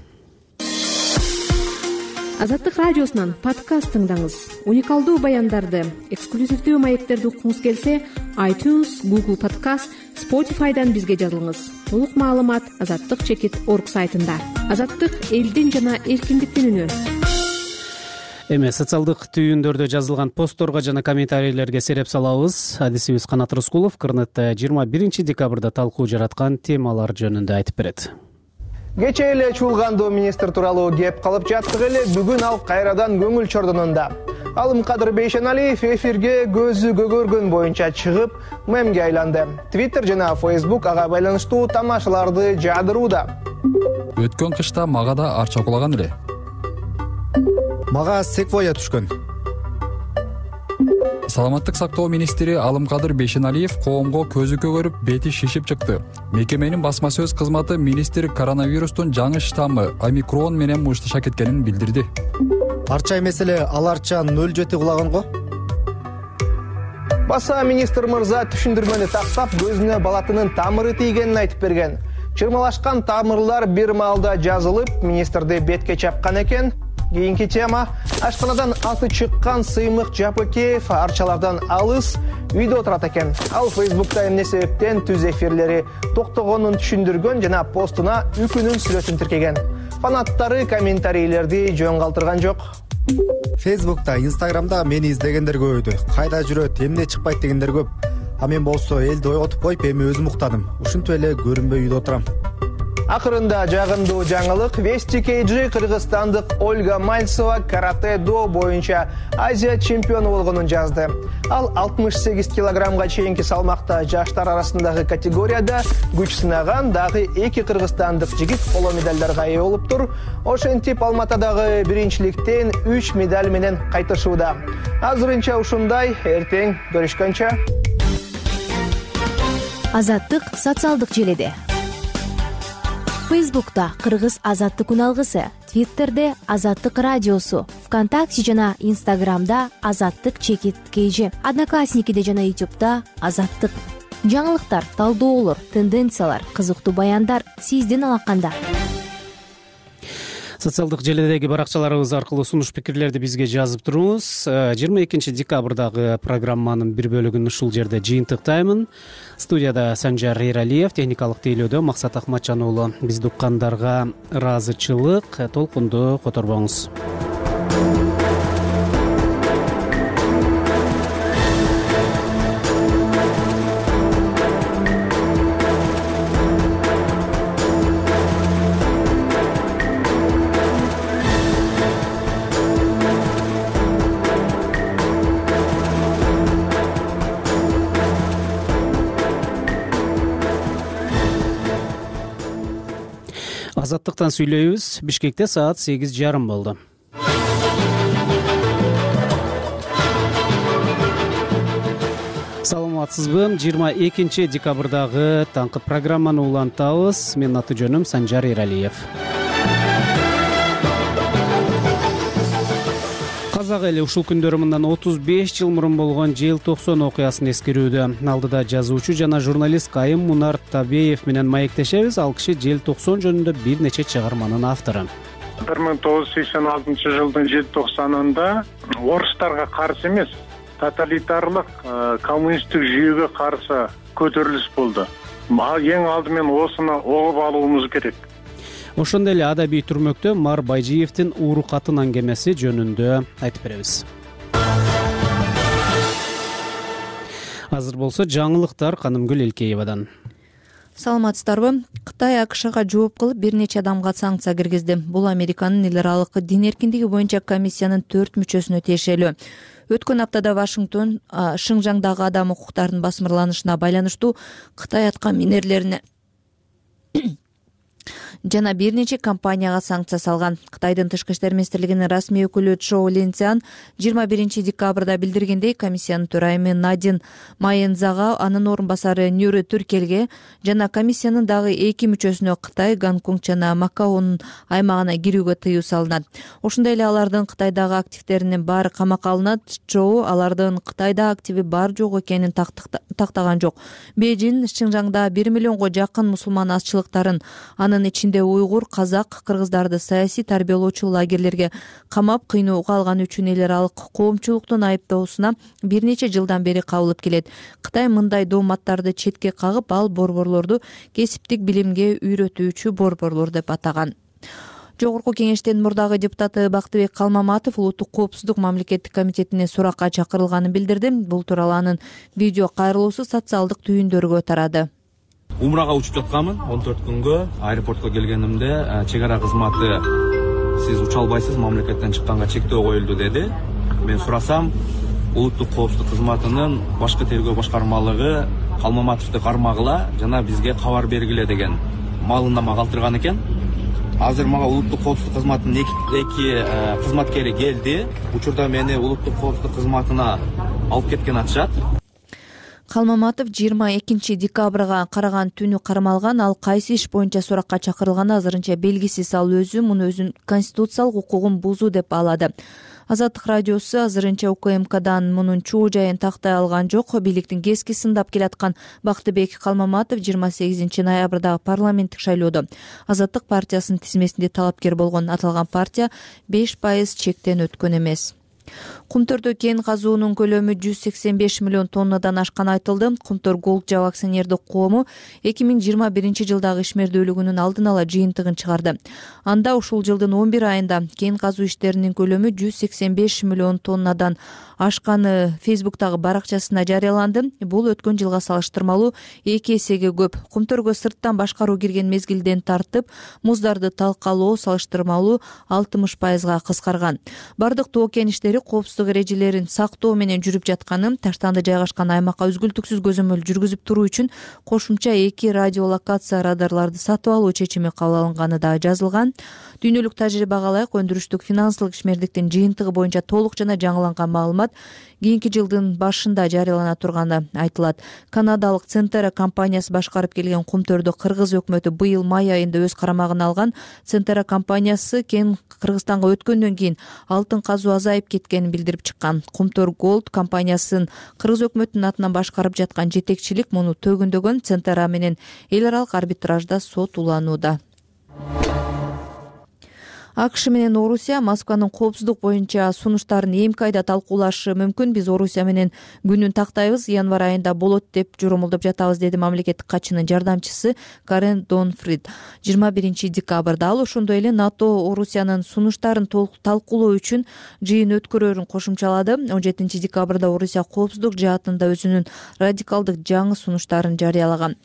Азаттык радиосунан подкаст тыңдаңыз. Уникалдуу баяндарды, эксклюзивдүү маектерди уккуңуз келсе, iTunes, Google Podcast, Spotify'дан бизге жазылыңыз. Толук маалымат азаттык чекит точка орг сайтында. Азаттык элдин жана эркиндиктин үнү. Эми социалдык түйүндөрдө жазылган постторго жана комментарийлерге сереп салабыз. Адисибиз Канат Рыскулов Кырнетте жыйырма биринчи декабрда талкуу жараткан темалар жөнүндө айтып берет. Кече эле чуулгандуу министр тууралуу кеп калып жаттык эле, бүгүн ал кайрадан көңүл чордонунда. Алымкадыр Бейшеналиев эфирге көзү көгөргөн боюнча чыгып, мемге айланды. Twitter жана Facebook ага байланыштуу тамашаларды жаадырууда. Өткөн кышта мага да арча кулаган эле. Мага секвоя түшкөн. Саламаттык сактоо министри Алымкадыр Бейшеналиев коомго көзү көгөрүп, бети шишип чыкты. Мекеменин басма сөз кызматы министр коронавирустун жаңы штаммы омикрон менен мушташа кеткенин билдирди. Арча эмес эле, ал арча нөл жети кулаган го. Баса министр мырза түшүндүрмөнү тактап, көзүнө балатынын тамыры тийгенин айтып берген. Чырмалашкан тамырлар бир маалда жазылып, министрди бетке чапкан экен. Кийинки тема — ашканадан аты чыккан Сыймык Жапыкеев арчалардан алыс үйдө отурат экен. Ал Facebook'та эмне себептен түз эфирлери токтогонун түшүндүргөн жана постуна үкүнүн сүрөтүн тиркеген. Фанаттары комментарийлерди жөн калтырган жок. Facebook'та, Instagram'да мени издегендер көбөйдү. Кайда жүрөт, эмне чыкпайт дегендер көп. А мен болсо элди ойготуп коюп, эми өзүм уктадым. Ушинтип эле көрүнбөй үйдө отурам. Акырында жагымдуу жаңылык, Вести кей джи кыргызстандык Ольга Мальцева каратэ-до боюнча Азия чемпиону болгонун жазды. Ал алтымыш сегиз килограммга чейинки салмакта жаштар арасындагы категорияда күч сынаган дагы эки кыргызстандык жигит коло медалдарга ээ болуптур. Ошентип Алматадагы биринчиликтен үч медаль менен кайтышууда. Азырынча ушундай, эртең көрүшкөнчө. Азаттык социалдык желеде. Facebook'ta Кыргыз азаттык үналгысы, Twitter'де Азаттык радиосу, ВКонтакте жана Instagram'да Азаттык чекит кей джи, Одноклассникиде жана YouTube'да Азаттык. Жаңылыктар, талдоолор, тенденциялар, кызыктуу баяндар сиздин алаканда. Социалдык желедеги баракчаларыбыз аркылуу сунуш пикирлерди бизге жазып туруңуз. жыйырма экинчи декабрдагы программанын бир бөлүгүн ушул жерде жыйынтыктаймын. Студияда Санжар Эралиев, техникалык тейлөөдө Максат Акматжан уулу. Бизди уккандарга ыраазычылык, толкунду которбоңуз. Азаттыктан сүйлөйбүз. Бишкекте саат сегиз жарым болду. Саламатсызбы? жыйырма экинчи декабрдагы таңкы программаны улантабыз. Менин аты жөнүм Санжар Эралиев. Казак эли ушул күндөрү мындан отуз беш жыл мурун болгон желтоқсон окуясын эскерүүдө. Алдыда жазуучу жана журналист Кайым Мунар Табеев менен маектешебиз. Ал киши желтоқсон жөнүндө бир нече чыгарманын автору. бир миң тогуз жүз сексен алтынчы жылдын желтоқсанында орустарга каршы эмес, тоталитарлык коммунисттик жүйөгө каршы көтөрүлүш болду. Эң алдымен осуну угуп алуубуз керек. Ошондой эле адабий түрмөктө Мар Байжиевдин Ууру катын аңгемеси жөнүндө айтып беребиз. Азыр болсо жаңылыктар Канымгүл Элкеевадан. Саламатсыздарбы? Кытай АКШга жооп кылып бир нече адамга санкция киргизди. Бул Американын эл аралык дин эркиндиги боюнча комиссиянын төрт мүчөсүнө тиешелүү. Өткөн аптада Вашингтон Шыңжаңдагы адам укуктарынын басмырланышына байланыштуу Кытай аткан минерлерине жана бир нече компанияга санкция салган. Кытайдын тышкы иштер министрлигинин расмий өкүлү Чжоу Линцзян жыйырма биринчи декабрда билдиргендей, комиссиянын төрайымы Надин Майензага, анын орун басары Нюры Түркелге жана комиссиянын дагы эки мүчөсүнө Кытай, Гонконг жана Макаонун аймагына кирүүгө тыюу салынат. Ошондой эле алардын Кытайдагы активдеринин баары камакка алынат. Чжоу алардын Кытайда активи бар жок экенин тактаган жок. Бейжин Шыңжаңда бир миллионго жакын мусулман азчылыктарын, анын ичинде уйгур, казак, кыргыздарды саясий тарбиялоочу лагерлерге камап, кыйноого алган үчүн эл аралык коомчулуктун айыптоосуна бир нече жылдан бери кабылып келет. Кытай мындай дооматтарды четке кагып, ал борборлорду кесиптик билимге үйрөтүүчү борборлор деп атаган. Жогорку кеңештин мурдагы депутаты Бактыбек Калмаматов улуттук коопсуздук мамлекеттик комитетине суракка чакырылганын билдирди. Бул тууралуу анын видео кайрылуусу социалдык түйүндөргө тарады. Умрага учуп жатканмын он төрт күнгө. Аэропортко келгенимде чек ара кызматы сиз уча албайсыз, мамлекеттен чыкканга чектөө коюлду деди. Мен сурасам, улуттук коопсуздук кызматынын башкы тергөө башкармалыгы Калмаматовду кармагыла жана бизге кабар бергиле деген маалымдама калтырган экен. Азыр мага улуттук коопсуздук кызматынын эки кызматкери келди. Учурда мени улуттук коопсуздук кызматына алып кеткен атышат. Калмаматов жыйырма экинчи декабрга караган түнү кармалган. Ал кайсы иш боюнча суракка чакырылганы азырынча белгисиз. Ал өзү муну өзүнүн конституциялык укугун бузуу деп баалады. Азаттык радиосу азырынча У К М Кдан мунун чуу жайын тактай алган жок. Бийликтин кески сындап келаткан Бактыбек Калмаматов жыйырма сегизинчи ноябрдагы парламенттик шайлоодо Азаттык партиясынын тизмесинде талапкер болгон. Аталган партия беш пайыз чектен өткөн эмес. Кумтөрдө кен казуунун көлөмү жүз сексен беш миллион тоннадан ашканы айтылды. Кумтөр Голд Жаб акционердик коому эки миң жыйырма биринчи жылдагы ишмердүүлүгүнүн алдын ала жыйынтыгын чыгарды. Анда ушул жылдын он бир айында кен казуу иштеринин көлөмү жүз сексен беш миллион тоннадан ашканы Фейсбуктагы баракчасына жарыяланды. Бул өткөн жылга салыштырмалуу эки эсеге көп. Кумтөргө сырттан башкаруу кирген мезгилден тартып, муздарды талкалоо салыштырмалуу алтымыш пайызга кыскарган. Бардык тоо кен иштери коопсуздук эрежелерин сактоо менен жүрүп жатканы, таштанды жайгашкан аймакка үзгүлтүксүз көзөмөл жүргүзүп туруу үчүн кошумча эки радиолокация радарларды сатып алуу чечими кабыл алынганы да жазылган. Дүйнөлүк тажрыйба калайык, өндүрүштүк финансылык ишмердиктин жыйынтыгы боюнча толук жана жаңыланган маалымат кийинки жылдын башында жарыялана турганы айтылат. Канадалык Центера компаниясы башкарып келген Кумтөрдү Кыргыз өкмөтү быйыл май айында өз карамагына алган. Центера компаниясы кен Кыргызстанга өткөндөн кийин алтын казуу азайып кеткенин билдирип чыккан. Кумтөр Голд компаниясын Кыргыз өкмөтүнүн атынан башкарып жаткан жетекчилик муну төгүндөгөн. Центера менен эл аралык арбитражда сот уланууда. акш менен Орусия Москванын коопсуздук боюнча сунуштарын эмки айда талкуулашы мүмкүн. Биз Орусия менен күнүн тактайбыз, январь айында болот деп журумулдуп жатабыз, деди мамлекеттик катчынын жардамчысы Карен Донфрид жыйырма биринчи декабрда. Ал ошондой эле НАТО Орусиянын сунуштарын талкуулоо үчүн жыйын өткөрөрүн кошумчалады. он жетинчи декабрда Орусия коопсуздук жаатында өзүнүн радикалдык жаңы сунуштарын жарыялаган.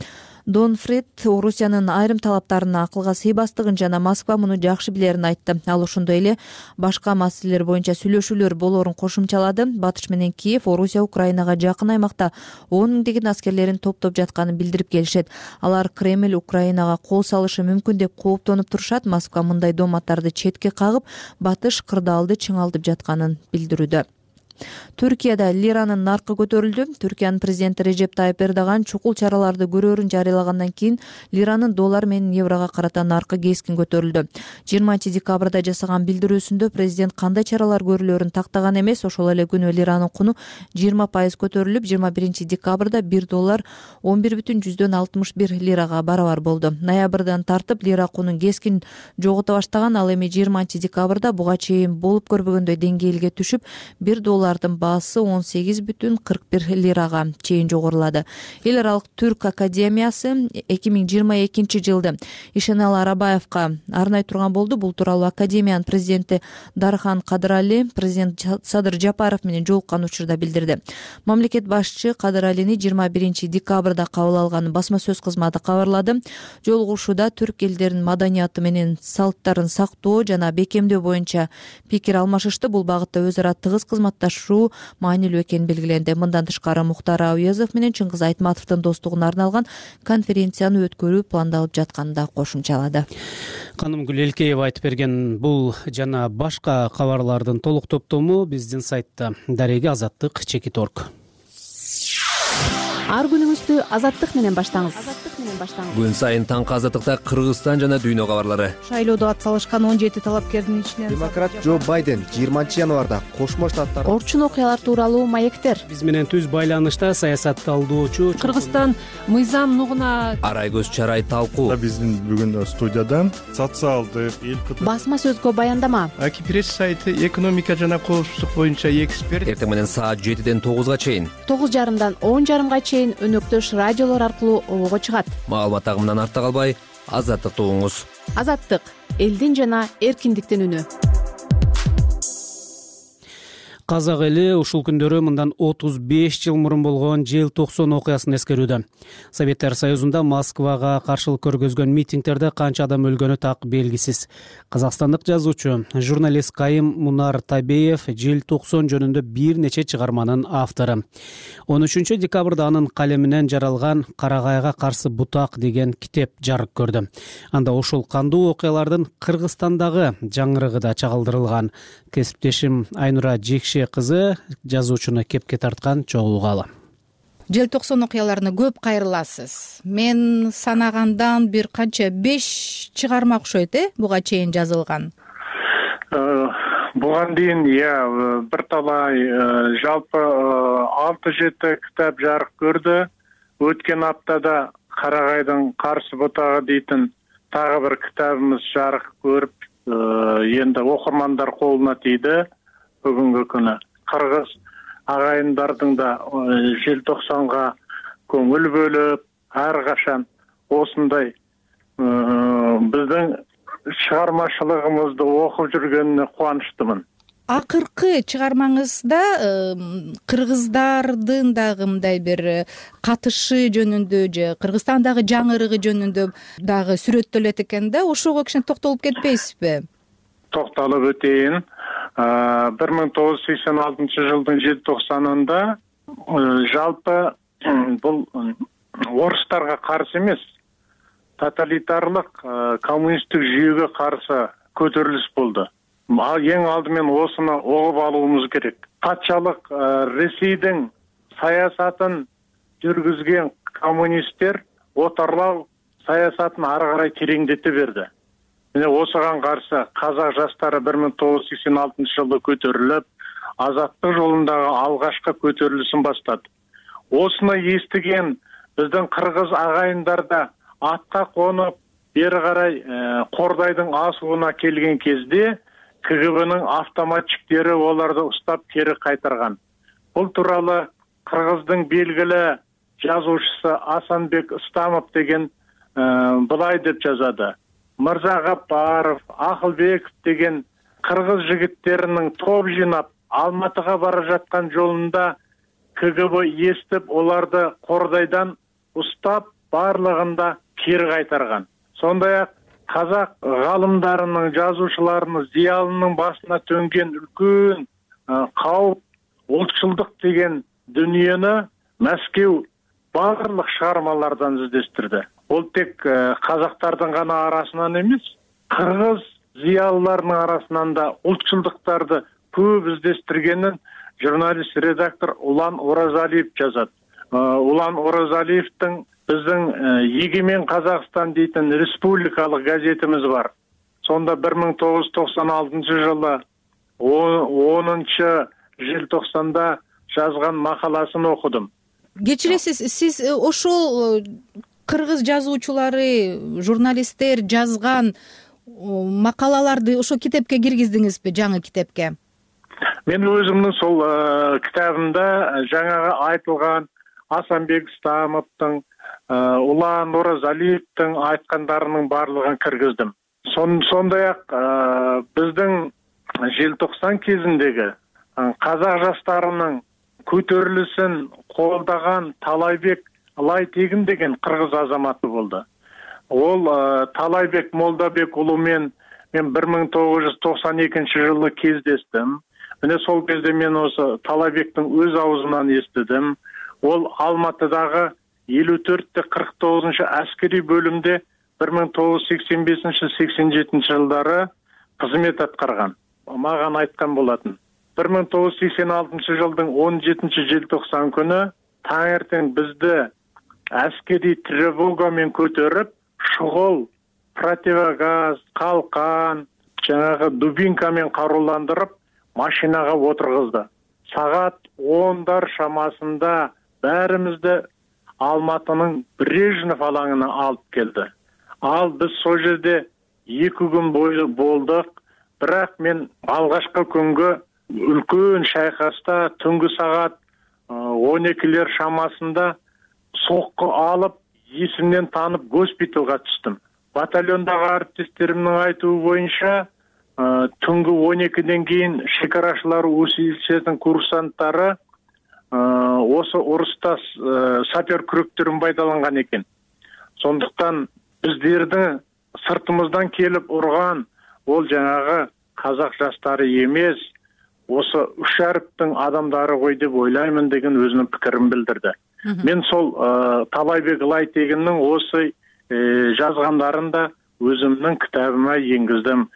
Донфрид Орусиянын айрым талаптарына акылга сыйбастыгын жана Москва муну жакшы билерин айтты. Ал ошондой эле башка маселелер боюнча сүйлөшүүлөр болоорун кошумчалады. Батыш менен Киев Орусия Украинага жакын аймакта он миңдеген аскерлерин топтоп жатканын билдирип келишет. Алар Кремль Украинага кол салышы мүмкүн деп кооптонуп турушат. Москва мындай дооматтарды четке кагып, Батыш кырдаалды чыңалтып жатканын билдирүүдө. Түркияда лиранын наркы көтөрүлдү. Түркиянын президенти Режеп Тайып Эрдоган чукул чараларды көрөөрүн жарыялагандан кийин лиранын доллар менен еврого карата наркы кескин көтөрүлдү. жыйырманчы декабрда жасаган билдирүүсүндө президент кандай чаралар көрүлөөрүн тактаган эмес. Ошол эле күнү лиранын куну жыйырма пайыз көтөрүлүп, жыйырма биринчи декабрда бир доллар он бир бүтүн жүздөн алтымыш бир лирага барабар болду. Ноябрдан тартып лира кунун кескин жогото баштаган. Ал эми жыйырманчы декабрда буга чейин болуп көрбөгөндөй деңгээлге түшүп, бир доллар баасы он сегиз бүтүн кырк бир лирага чейин жогорулады. Эл аралык Түрк академиясы эки миң жыйырма экинчи жылды Ишенал Арабаевка арнай турган болду. Бул тууралуу академиянын президенти Дархан Кадырали президент Садыр Жапаров менен жолуккан учурда билдирди. Мамлекет башчы Кадыралини жыйырма биринчи декабрда кабыл алганын басма сөз кызматы кабарлады. Жолугушууда түрк элдеринин маданияты менен салттарын сактоо жана бекемдөө боюнча пикир алмашышты. Бул багытта өз ара тыгыз кызматташуу маанилүү экени белгиленди. Мындан тышкары Мухтар Ауязов менен Чыңгыз Айтматовдун достугуна арналган конференцияны өткөрүү пландалып жатканын да кошумчалады. Канымгүл Элкеева айтып берген бул жана башка кабарлардын толук топтому биздин сайтта. Дареги азаттык чекит точка орг. Ар күнүңүздү азаттык менен баштаңыз. Күн сайын таңкы азаттыкта Кыргызстан жана дүйнө кабарлары. Шайлоодо ат салышкан он жети талапкердин ичинен демократ Джо Байден жыйырманчы январда Кошмо Штаттар орчун окуялар тууралуу маектер. Биз менен түз байланышта саясат талдоочу Кыргызстан мыйзам нугуна Арай көз чарай талкуу. Биздин бүгүн студияда социалдык эл басма сөзгө баяндама. Аки пресс сайты экономика жана коопсуздук боюнча эксперт. Эртең менен саат жетиден тогузга чейин, тогуз жарымдан он жарымга чейин өнөктөш радиолор аркылуу обого чыгат. Маалымат агымынан артта калбай, азаттыкты угуңуз. Азаттык — элдин жана эркиндиктин үнү. Казак эли ушул күндөрү мындан отуз беш жыл мурун болгон желтоқсон окуясын эскерүүдө. Советтер Союзунда Москвага каршылык көргөзгөн митингтерде канча адам өлгөнү так белгисиз. Казакстандык жазуучу, журналист Кайым Мунар Табеев желтоқсон жөнүндө бир нече чыгарманын автору. он үчүнчү декабрда анын калеминен жаралган Карагайга каршы бутак деген китеп жарык көрдү. Анда ошол кандуу окуялардын Кыргызстандагы жаңырыгы да чагылдырылган. Кесиптешим Айнура Жекше кызы жазуучуну кепке тарткан чогулгалы. Желтоқсон окуяларына көп кайрыласыз. Мен санагандан бир канча беш чыгарма окшойт, э, буга чейин жазылган. Буган дейин я бир талай жалпы алты жети китап жарык көрдү. Өткөн аптада Карагайдын каршы бутагы дейтин тагы бир китабыбыз жарык көрүп, энди окурмандар колуна тийди. Бүгүнкү күнү кыргыз агайындардын да желтоқсанга көңүл бөлүп, ар качан осундай биздин чыгармачылыгыбызды окуп жүргөнүнө кубанычтымын. Акыркы чыгармаңызда кыргыздардын дагы мындай бир катышы жөнүндө же Кыргызстандагы жаңырыгы жөнүндө дагы сүрөттөлөт экен да, ошого кичине токтолуп кетпейсизби? Токтолуп өтейин. бир миң тогуз жүз сексен алтынчы жылдын желтоқсанында жалпы бул орустарга каршы эмес, тоталитарлык коммунисттик жүйөгө каршы көтөрүлүш болду. Эң алдымен осыны оғып алуымыз керек. Патшалык Ресейдин саясатын жүргүзген коммунисттер отарлау саясатын ары карай тереңдете берди. Міне осыған қарсы қазақ жастары бир миң тогуз жүз сексен алтынчы жылы көтөрүлүп, азаттык жолундагы алгачкы көтөрүлүшүн баштады. Осыны естиген биздин кыргыз агайындар да атка конуп, бери карай Кордайдын асууна келген кезде К Г Б'нын автоматчиктери оларды устап кери кайтарган. Бул тууралуу Кыргыздын белгилүү жазуучусу Асанбек Ыстамов деген былай деп жазады. Мырза Гапаров, Акылбеков деген кыргыз жигиттеринин топ жыйнап Алматыга бара жаткан жолунда К Г Б эстеп, оларды Кордайдан устап барлыгында кери кайтарган. Сондай-ак казак галымдарынын, жазуучуларынын, зыялынын басына төнгөн үлкөн кауп, ултчулдук деген дүнүйөнү Мәскеу барлык чыгармалардан издестирди. Ол тек казактардын гана арасынан эмес, кыргыз зыялыларынын арасынан да ултчулдуктарды көп издестиргенин журналист редактор Улан Оразалиев жазат. Улан Оразалиевдин биздин Егемен Казакстан дейтин республикалык газетimiz бар. Сонда бир миң тогуз жүз токсон алтынчы жылы онунчу желтоқсанда жазган макаласын окудум. Кечиресиз, сиз ошол кыргыз жазуучулары, журналисттер жазган макалаларды ошо китепке киргиздиңизби, жаңы китепке? Мен өзүмдүн сол китабымда жаңағы айтылган Асанбек Ыстамовдун, Улан Оразалиевдин айткандарынын барлыгын киргиздим. Сондай-ак биздин желтоқсан кезиндеги казак жаштарынын көтөрүлүшүн колдогон Талайбек Ылайтегин деген кыргыз азаматы болду. Ол Талайбек Молдабек уулу мен мен бир миң тогуз жүз токсон экинчи жылы кездештим. Міне сол кезде мен осы Талайбектің өз аузынан естідім. Ол Алматыдағы элүү төрттө кырк тогузунчу әскери бөлімде бир миң тогуз жүз сексен бешинчи сексен жетинчи жылдары қызмет аткарган. Маған айткан болатын. бир миң тогуз жүз сексен алтынчы жылдың он жетинчи желтоқсан күнү таңертең бизди әскери тревогамен көтөрүп, шұғыл, противогаз, қалқан, жаңағы дубинкамен қаруландырып, машинаға отырғызды. Сағат ондар шамасында бәрімізді Алматының Брежнев алаңына алып келді. Ал біз сол жерде екі күн бойы болдық, бірақ мен алғашқы күнгі үлкен шайқаста түнгі сағат он екілер шамасында соққы алып, есімнен танып госпиталға түстім. Батальондағы әріптестерімнің айтуы бойынша түнгі он екіден кейін шекарашылар училищесінің курсанттары осы ұрыста сапер күректерін пайдаланған екен. Сондықтан біздердің сыртымыздан келіп ұрған ол жаңағы қазақ жастары емес, осы үш әріптің адамдары ғой деп ойлаймын деген өзінің пікірін білдірді. Мен сол Талайбек Ылайтегиннің осы жазғандарын да өзімнің кітабыма енгіздім.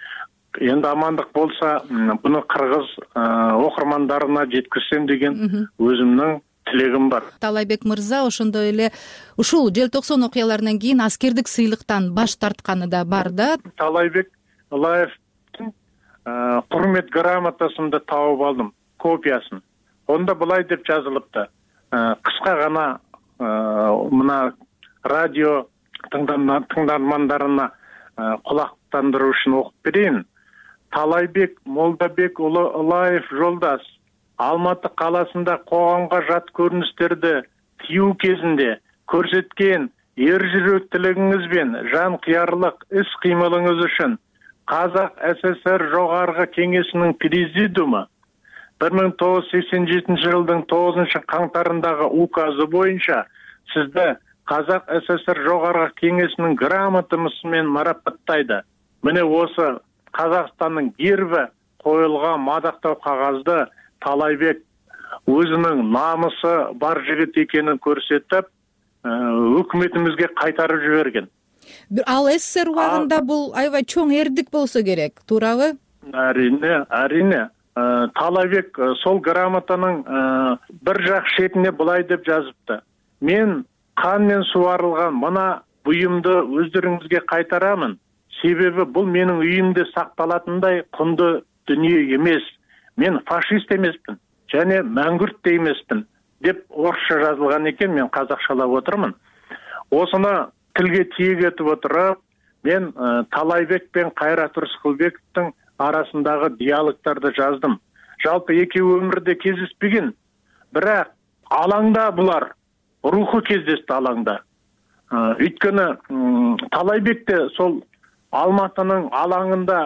Енді амандық болса, бұны қырғыз оқырмандарына жеткізсем деген өзімнің тілегім бар. Талайбек мырза ошондой эле ушул желтоқсан окуяларынан кийин аскердик сыйлыктан баш тартканы да бар да. Талайбек Ылаевдин курмет грамотасын да тауып алдым, копиясын. Онда былай деп жазылыпты. Кыска гана мына радио тыңдармандарына кулактандыруу үчүн окуп берейин. Талайбек Молдабек уулу Ылаев жолдаш, Алматы қаласында коомго жат көрүнүштөрдү тыюу кезинде көрсөткөн эр жүрөктүүлүгүңүз бен жан кыярлык ис-кыймылыңыз үчүн Казак СССР Жогорку Кеңешинин президиуму бир миң тогуз жүз сексен жетинчи жылдын тогузунчу каңтарындагы указы боюнча сизди Казак СССР Жогорку Кеңешинин грамотасы менен марапаттайды. Міне осы Казакстандын герби коюлган мадактоо кагазды Талайбек өзүнүн намысы бар жигит экенин көрсөтүп, өкмөтүбүзгө кайтарып жиберген. Ал СССР убагында бул аябай чоң эрдик болсо керек, туурабы? Арине, арине. Талайбек сол грамотанын бир жак шетине былай деп жазыпты. Мен кан менен суарылган мына буюмду өздөрүңүзгө кайтарамын. Себеби бул менин үйүмдө сакталатындай кундуу дүнүйө эмес. Мен фашист емеспін, және мәңгүрт те емеспін, деп орысша жазылған екен, мен қазақшалап отырмын. Осыны тілге тиек етіп отырып, мен Талайбек пен Кайрат Рыскылбековдун арасындагы диалогдорду жаздым. Жалпы экөө өмүрдө кездеспеген, бирок алаңда булар руху кездешти алаңда. Өйткөнү Талайбекте сол Алматынын алаңында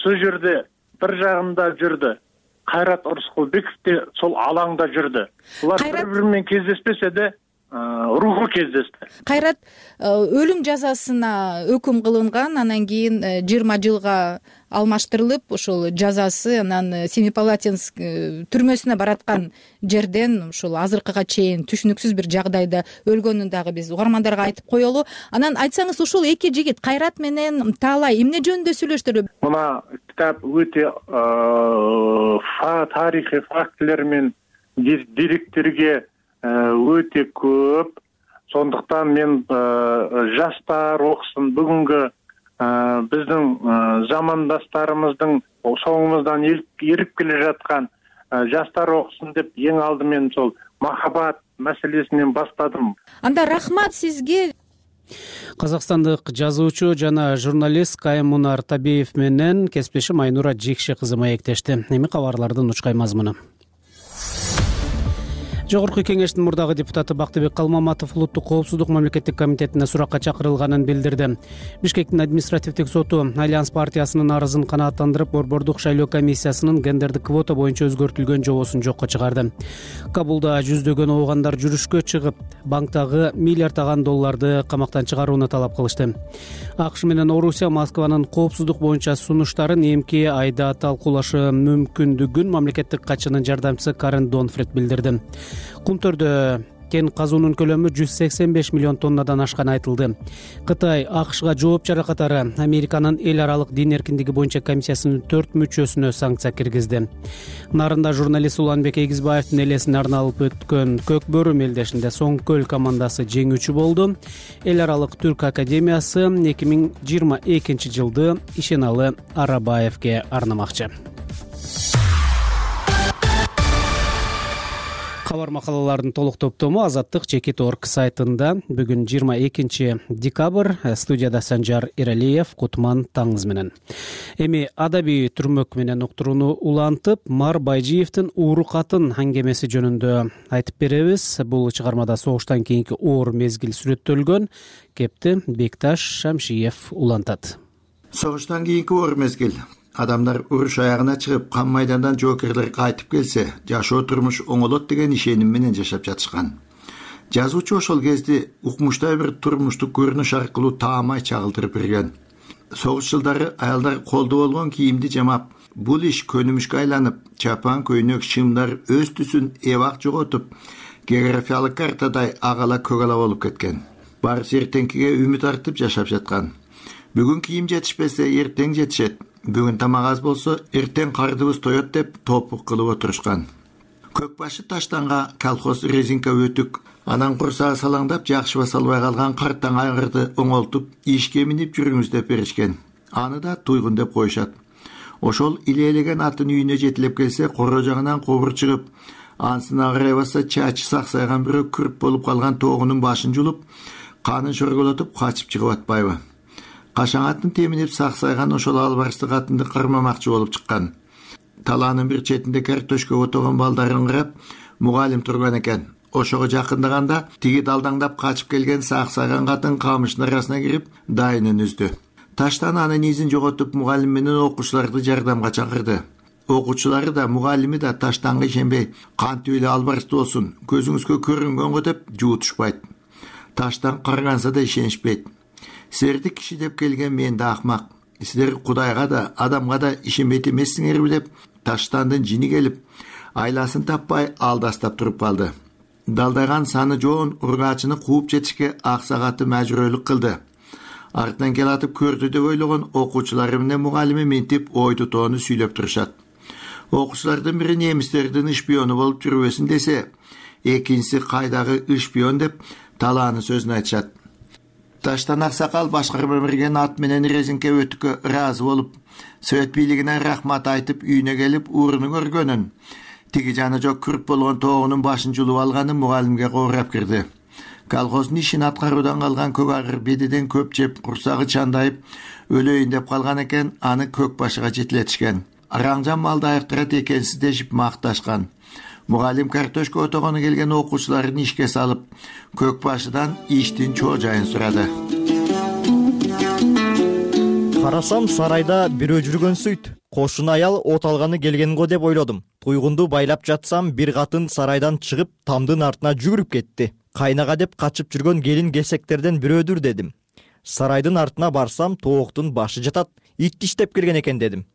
сол жерде бир жагында жүрдү. Кайрат Рыскылбеков те сол алаңда жүрдү. Булар бири-бири менен кездеспесе де руху кездешти. Кайрат өлүм жазасына өкүм кылынган, анан кийин жыйырма жылга алмаштырылып, ошол жазасы анан Семипалатинск түрмөсүнө бараткан жерден ушул азыркыга чейин түшүнүксүз бир жагдайда өлгөнүн дагы биз угармандарга айтып коелу. Анан айтсаңыз, ушул эки жигит Кайрат менен Таалай эмне жөнүндө сүйлөштүр? Мына китап өтө тарыхый фактылар менен деректерге өтө көп. Сондуктан мен жаштар окусын, бүгүнкү биздин замандастарыбыздын соңумуздан эрип келе жаткан жаштар окусын деп эң алдымен сол махабат маселесинен баштадым. Анда рахмат сизге. Казакстандык жазуучу жана журналист Каймунар Табиев менен кесиптешим Айнура Жекши кызы маектешти. Эми кабарлардын учкай мазмуну. Жогорку кеңештин мурдагы депутаты Бактыбек Калмаматов улуттук коопсуздук мамлекеттик комитетине суракка чакырылганын билдирди. Бишкектин административдик соту Альянс партиясынын арызын канааттандырып, Борбордук шайлоо комиссиясынын гендердик квота боюнча өзгөртүлгөн жобосун жокко чыгарды. Кабулда жүздөгөн оогандар жүрүшкө чыгып, банктагы миллиарддаган долларды камактан чыгарууну талап кылышты. АКШ менен Орусия Москванын коопсуздук боюнча сунуштарын эмки айда талкуулашы мүмкүндүгүн мамлекеттик катчынын жардамчысы Карен Донфред билдирди. Кумтөрдө кен казуунун көлөмү жүз сексен беш миллион тоннадан ашканы айтылды. Кытай АКШга жооп чара катары Американын эл аралык дин эркиндиги боюнча комиссиясынын төрт мүчөсүнө санкция киргизди. Нарында журналист Уланбек Эгизбаевдин элесине арналып өткөн Көк бөрү мелдешинде Соңкөл командасы жеңүүчү болду. Эл аралык түрк академиясы эки миң жыйырма экинчи жылды Ишеналы Арабаевге арнамакчы. Кабар макалалардын толук топтому Азаттык Чекит точка орг сайтында. Бүгүн жыйырма экинчи декабрь. Студияда Санжар Иралиев, Кутман таңыз менен. Эми адабий түрмөк менен уктурууну улантып, Мар Байжиевдин Ууру катын аңгемеси жөнүндө айтып беребиз. Бул чыгармада согуштан кийинки оор мезгил сүрөттөлгөн. Кепти Бекташ Шамшиев улантат. Согуштан кийинки оор мезгил. Адамдар уруш аягына чыгып, кан майдандан жоокерлер кайтып келсе, жашоо турмуш оңолот деген ишеним менен жашап жатышкан. Жазуучу ошол кезде укмуштай бир турмуштук көрүнүш аркылуу таамай чагылдырып берген. Согуш жылдары аялдар колдо болгон кийимди жамап, бул иш көнүмүшкө айланып, чапан, көйнөк, шымдар өз түсүн эбак жоготуп, географиялык картадай агала көгала болуп кеткен. Барысы эртеңкиге үмүт артып жашап жаткан. Бүгүн кийим жетишпесе, эртең жетишет. Бүгүн тамак аз болсо, эртең кардыбыз тоет деп топук кылып отурушкан. Көкбашы таштанга колхоз резинка өтүк, анан курсагы салаңдап жакшыба салбай калган карттан айгырды оңолтуп, ишке минип жүрүңүз деп беришкен. Аны да туйгун деп коюшат. Ошол илээлеген атын үйүнө жетилеп келсе, коро жагынан кобур чыгып, ансына карай басса чачы саксайган бирөө күрп болуп калган тоогунун башын жулуп, канын шорголотуп качып чыгып атпайбы? Кашаң атын теминип саксайган ошол албарысты катынды кырмамакчы болуп чыккан. Талаанын бир четинде картошка отогон балдарын карап, мугалим турган экен. Ошого жакындаганда тиги далдаңдап качып келген саксайган катын камыштын арасына кирип, дайынын үздү. Таштан анын изин жоготуп, мугалим менен окуучуларды жардамга чакырды. Окуучулары да, мугалими да таштанга ишенбей, кантип эле албарысты болсун, көзүңүзгө көрүнгөнгө деп жуутушпайт. Таштан карганса да ишенишпейт. Силерди киши деп келген мен да акмак. Силер Кудайга да, адамга да ишенбейт эмессиңерби деп таштандын жини келип, айласын таппай алдастап туруп калды. Далдаган саны жоон ургаачыны кууп жетишке аксагаты мажбүрөлүк кылды. Артынан келатып көрдү деп ойлогон окуучулары менен мугалими ментип ойду тоону сүйлөп турушат. Окуучулардын бири немистердин шпиону болуп жүрбөсүн десе, экинчиси кайдагы шпион деп талааны сөзүн айтышат. Таштан аксакал башкарма берген ат менен резинке өтүккө ыраазы болуп, Совет бийлигине рахмат айтып үйүнө келип уурunu көргөнүн, тиги жаны жок күрп болгон тоогунун башын жулуп алганын мугалимге кобурап кирди. колхоздун ишин аткаруудан калган көк агыр бедеден көп жеп курсагы чандайып өлөйүн деп калган экен. Аны көк башыга жетилетишкен. Араңжан малды айыктырат экенсиз дешип макташкан. Мугалим картошка отогону келген окуучуларын ишке салып, көк башыдан иштин чоо жайын сурады. Карасам сарайда бирөө жүргөнсүйт. Кошун аял от алганы келген го деп ойлодум. Туйгунду байлап жатсам, бир катын сарайдан чыгып, тамдын артына жүгүрүп кетти. Кайнага деп качып жүргөн келин кесектерден бирөөдүр дедим. Сарайдын артына барсам, тооктун башы жатат. Ит иштеп келген экен дедим.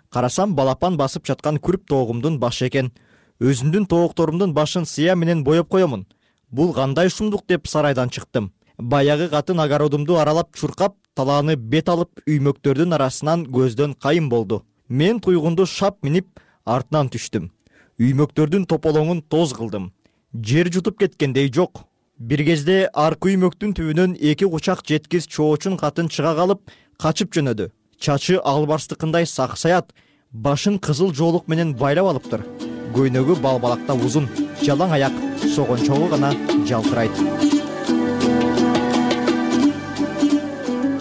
Карасам, балапан басып жаткан күрүп тоогумдун башы экен. Өзүмдүн тоокторумдун башын сыя менен боеп коёмун. Бул кандай шумдук деп сарайдан чыктым. Баягы катын огородумду аралап чуркап, талааны бет алып, үймөктөрдүн арасынан көздөн кайын болду. Мен туйгунду шап минип, артынан түштүм. Үймөктөрдүн тополоңун тоз кылдым. Жер жутуп кеткендей жок. Бир кезде аркы үймөктүн түбүнөн эки кучак жеткиз чоочун катын чыга калып, качып жөнөдү. Чачы албарстыкындай саксаят, башын кызыл жоолук менен байлап алыптыр. Көйнөгү балбалакта узун, жалаң аяк, согончогу гана жалтырайт.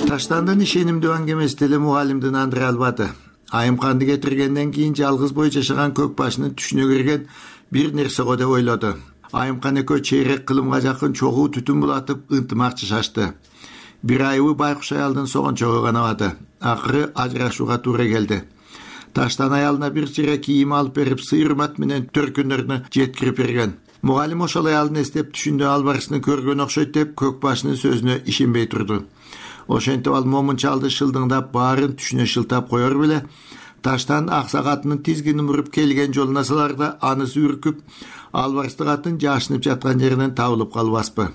Таштандын ишенимдүү аңгемеси деле мугалимдин андыра албады. Айымканды кетиргенден кийин жалгыз бой жашаган көк башынын түшүнө кирген бир нерсе го деп ойлоду. Айымкан экөө чейрек кылымга жакын чогуу түтүн булатып ынтымакчышашты. Бир айыбы байкуш аялдын согончогу канабады. Акыры ажырашууга туура келди. Таштан аялына бир чыра кийим алып берип, сыйырмат менен төркүнөрүнө жеткирип берген. Мугалим ошол аялдын эстеп түшүндө албарысын көргөн окшойт деп көк башынын сөзүнө ишенбей турду. Ошентип ал момун чалды шылдыңдап, баарын түшүнө шылтап коер беле, таштан акса катынын тизгинин буруп келген жолуна саларда анысы үркүп, албарысты катын жашынып жаткан жеринен табылып калбаспы.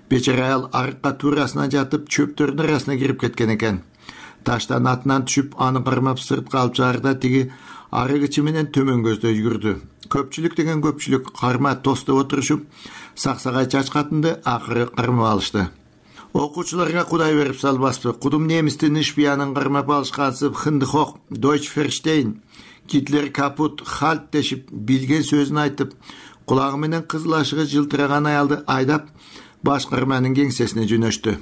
Бечара аял арыкка туурасынан жатып, чөптөрдүн арасына кирип кеткен экен. Таштан атынан түшүп, аны кармап сыртка алып чыгарда тиги арыгычы менен төмөн көздөй жүрдү. Көпчүлүк деген көпчүлүк карма тостоп отурушуп, саксагай чач катынды акыры кармап алышты. Окуучуларга кудай берип салбаспы. Кудум немистин ишпиянын кармап алышкансып, Хындыхок, Дойчферштейн, Гитлер капут, Хальт дешип, билген сөзүн айтып, кулагы менен кызыл ашыгы жылтыраган аялды айдап, башкарманын кеңсесине жөнөштү.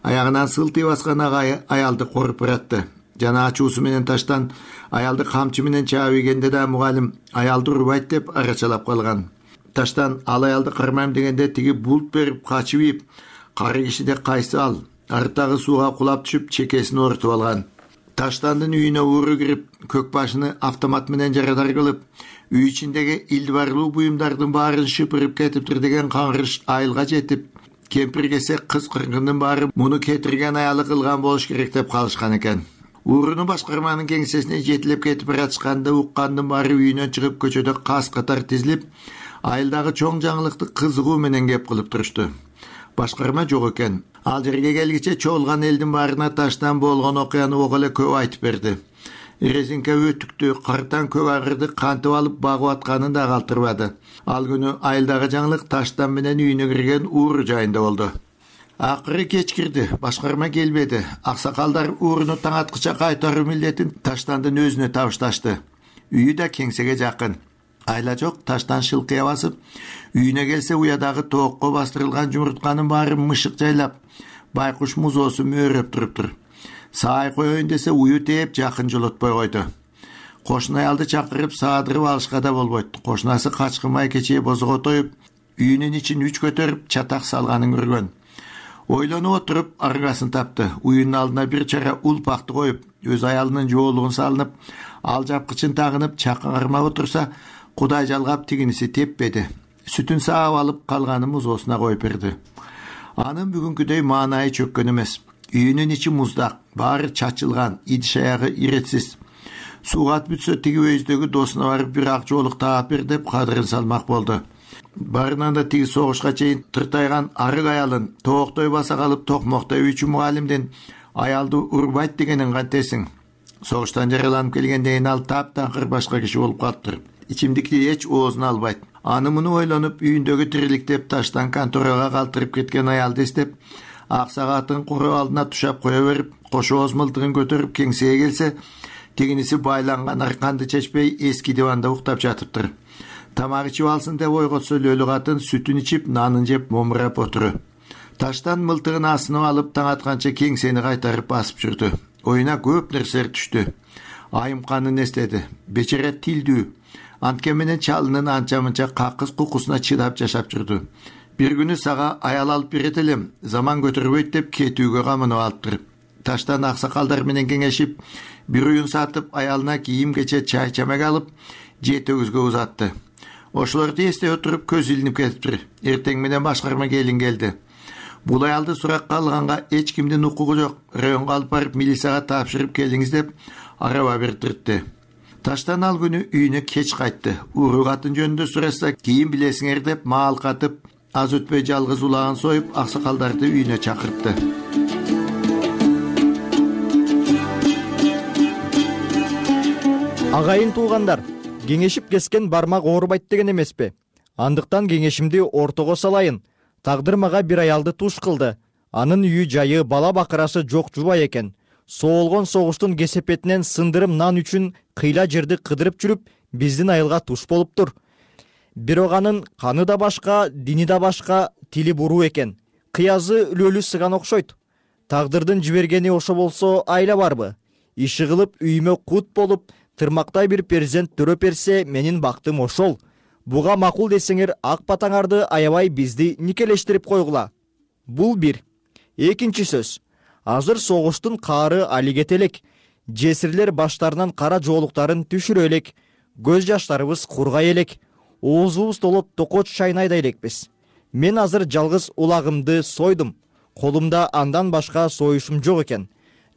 Аягынан сылтый баскан агайы аялды коруп баратты. Жана ачуусу менен таштан аялды камчы менен чаап ийгенде да мугалим аялды урбайт деп арачалап калган. Таштан ал аялды кармайм дегенде тиги булт берип качып ийип, кары кишиде кайсы ал, арттагы сууга кулап түшүп чекесин оорутуп алган. Таштандын үйүнө ууру кирип, көк башыны автомат менен жарадар кылып, үй ичиндеги илдибарлуу буюмдардын баарын шыпырып кетиптир деген каңгырыш айылга жетип, кемпир кесек кыз кыргындын баары муну кетирген аялы кылган болуш керек деп калышкан экен. Ууруну башкарманын кеңсесине жетилеп кетип баратышканда уккандын баары үйүнөн чыгып көчөдө кас катар тизилип, айылдагы чоң жаңылыкты кызыгуу менен кеп кылып турушту. Башкарма жок экен. Ал жерге келгиче чоолган элдин баарына таштан болгон окуяны ого эле көп айтып берди. Резинка өтүктү, картан көк агырды кантип алып багып атканын да калтырбады. Ал күнү айылдагы жаңылык таштан менен үйүнө кирген ууру жайында болду. Акыры кеч кирди, башкарма келбеди. Аксакалдар ууруну таң аткыча кайтаруу милдетин таштандын өзүнө табышташты. Үйү да кеңсеге жакын. Айла жок, таштан шылкыя басып, үйүнө келсе уядагы тоокко бастырылган жумуртканын баары мышык жайлап, байкуш музоосу мөөрөп туруптур. Саай коеюн десе ую тээп жакын жолотпой койду. Кошун аялды чакырып саадырып алышка да болбойт. Кошунасы качкынмай кечээ бозого тоюп, үйүнүн ичин үч көтөрүп чатак салганын көргөн. Ойлонуп отуруп аргасын тапты. Уюнун алдына бир чара улпакты коюп, өз аялынын жоолугун салынып, ал жапкычын тагынып чакка кармап отурса, кудай жалгап тигиниси теппеди. Сүтүн саап алып калганы музоосуна коюп берди. Анын бүгүнкүдөй маанайы чөккөн эмес. Үйүнүн ичи муздак, баары чачылган, идиш аягы иретсиз. Суугат бүтсө тиги өйүздөгү досуна барып бир ак жоолук таап бер деп кадырын салмак болду. Барынан да тиги согушка чейин тыртайган арык аялын тооктой баса калып токмоктой үчү мугалимдин аялды урбайт дегенин кантесиң. Согуштан жараланып келгенден кийин ал таптакыр башка киши болуп калыптыр. Ичимдикти эч оозуна албайт. Аны муну ойлонуп, үйүндөгү тириликтеп таштан конторага калтырып кеткен аялды эстеп, ак сагаатын куру алдына тушап кое берип, кош ооз мылтыгын көтөрүп кеңсеге келсе, тигиниси байланган арканды чечпей эски диванда уктап жатыптыр. Тамак ичип алсын деп ойготсо лөлү катын сүтүн ичип, нанын жеп момурап отуру. Таштан мылтыгын асынып алып таң атканча кеңсени кайтарып басып жүрдү. Оюна көп нерселер түштү. Айымканын эстеди. Бечара тилдүү. Анткен менен чалынын анча-мынча какыс кукусуна чыдап жашап жүрдү. Бир күнү сага аял алып берет элем, заман көтөрбөйт деп кетүүгө камынып алыптыр. Таштан аксакалдар менен кеңешип, бир уюн сатып, аялына кийим кече чай чамак алып, жетөгүзгө узатты. Ошолорду эстей отуруп көз илинип кетиптир. Эртең менен башкарма келин келди. Бул аялды суракка алганга эч кимдин укугу жок. Районго алып барып милицияга тапшырып келиңиз деп араба бердирди. Таштан ал күнү үйүнө кеч кайтты. Уру катын жөнүндө сураса, кийин билесиңер деп маал катып, аз өтпөй жалгыз улагын союп, аксакалдарды үйүнө чакыртты. Агайын туугандар, кеңешип кескен бармак оорубайт деген эмеспи? Андыктан кеңешимди ортого салайын. Тагдыр мага бир аялды туш кылды. Анын үйү жайы, бала бакырасы жок жубай экен. Соолгон согуштун кесепетинен сындырым нан үчүн кыйла жерди кыдырып жүрүп, биздин айылга туш болуптур. Бирок анын каны да башка, дини да башка, тили буруу экен. Кыязы үлөлү сыган окшойт. Тагдырдын жибергени ошо болсо айла барбы? Иши кылып үйүмө кут болуп, тырмактай бир перзент төрөп берсе, менин бактым ошол. Буга макул десеңер, ак батаңарды аябай бизди никелештирип койгула. Бул бир. Экинчи сөз. Азыр согуштун каары алигет элек. Жесирлер баштарынан кара жоолуктарын түшүрө элек. Көз жаштарыбыз кургай элек. Оозубуз толот токоч чайнайдай элекпиз. Мен азыр жалгыз улагымды сойдум. Колумда андан башка союшум жок экен.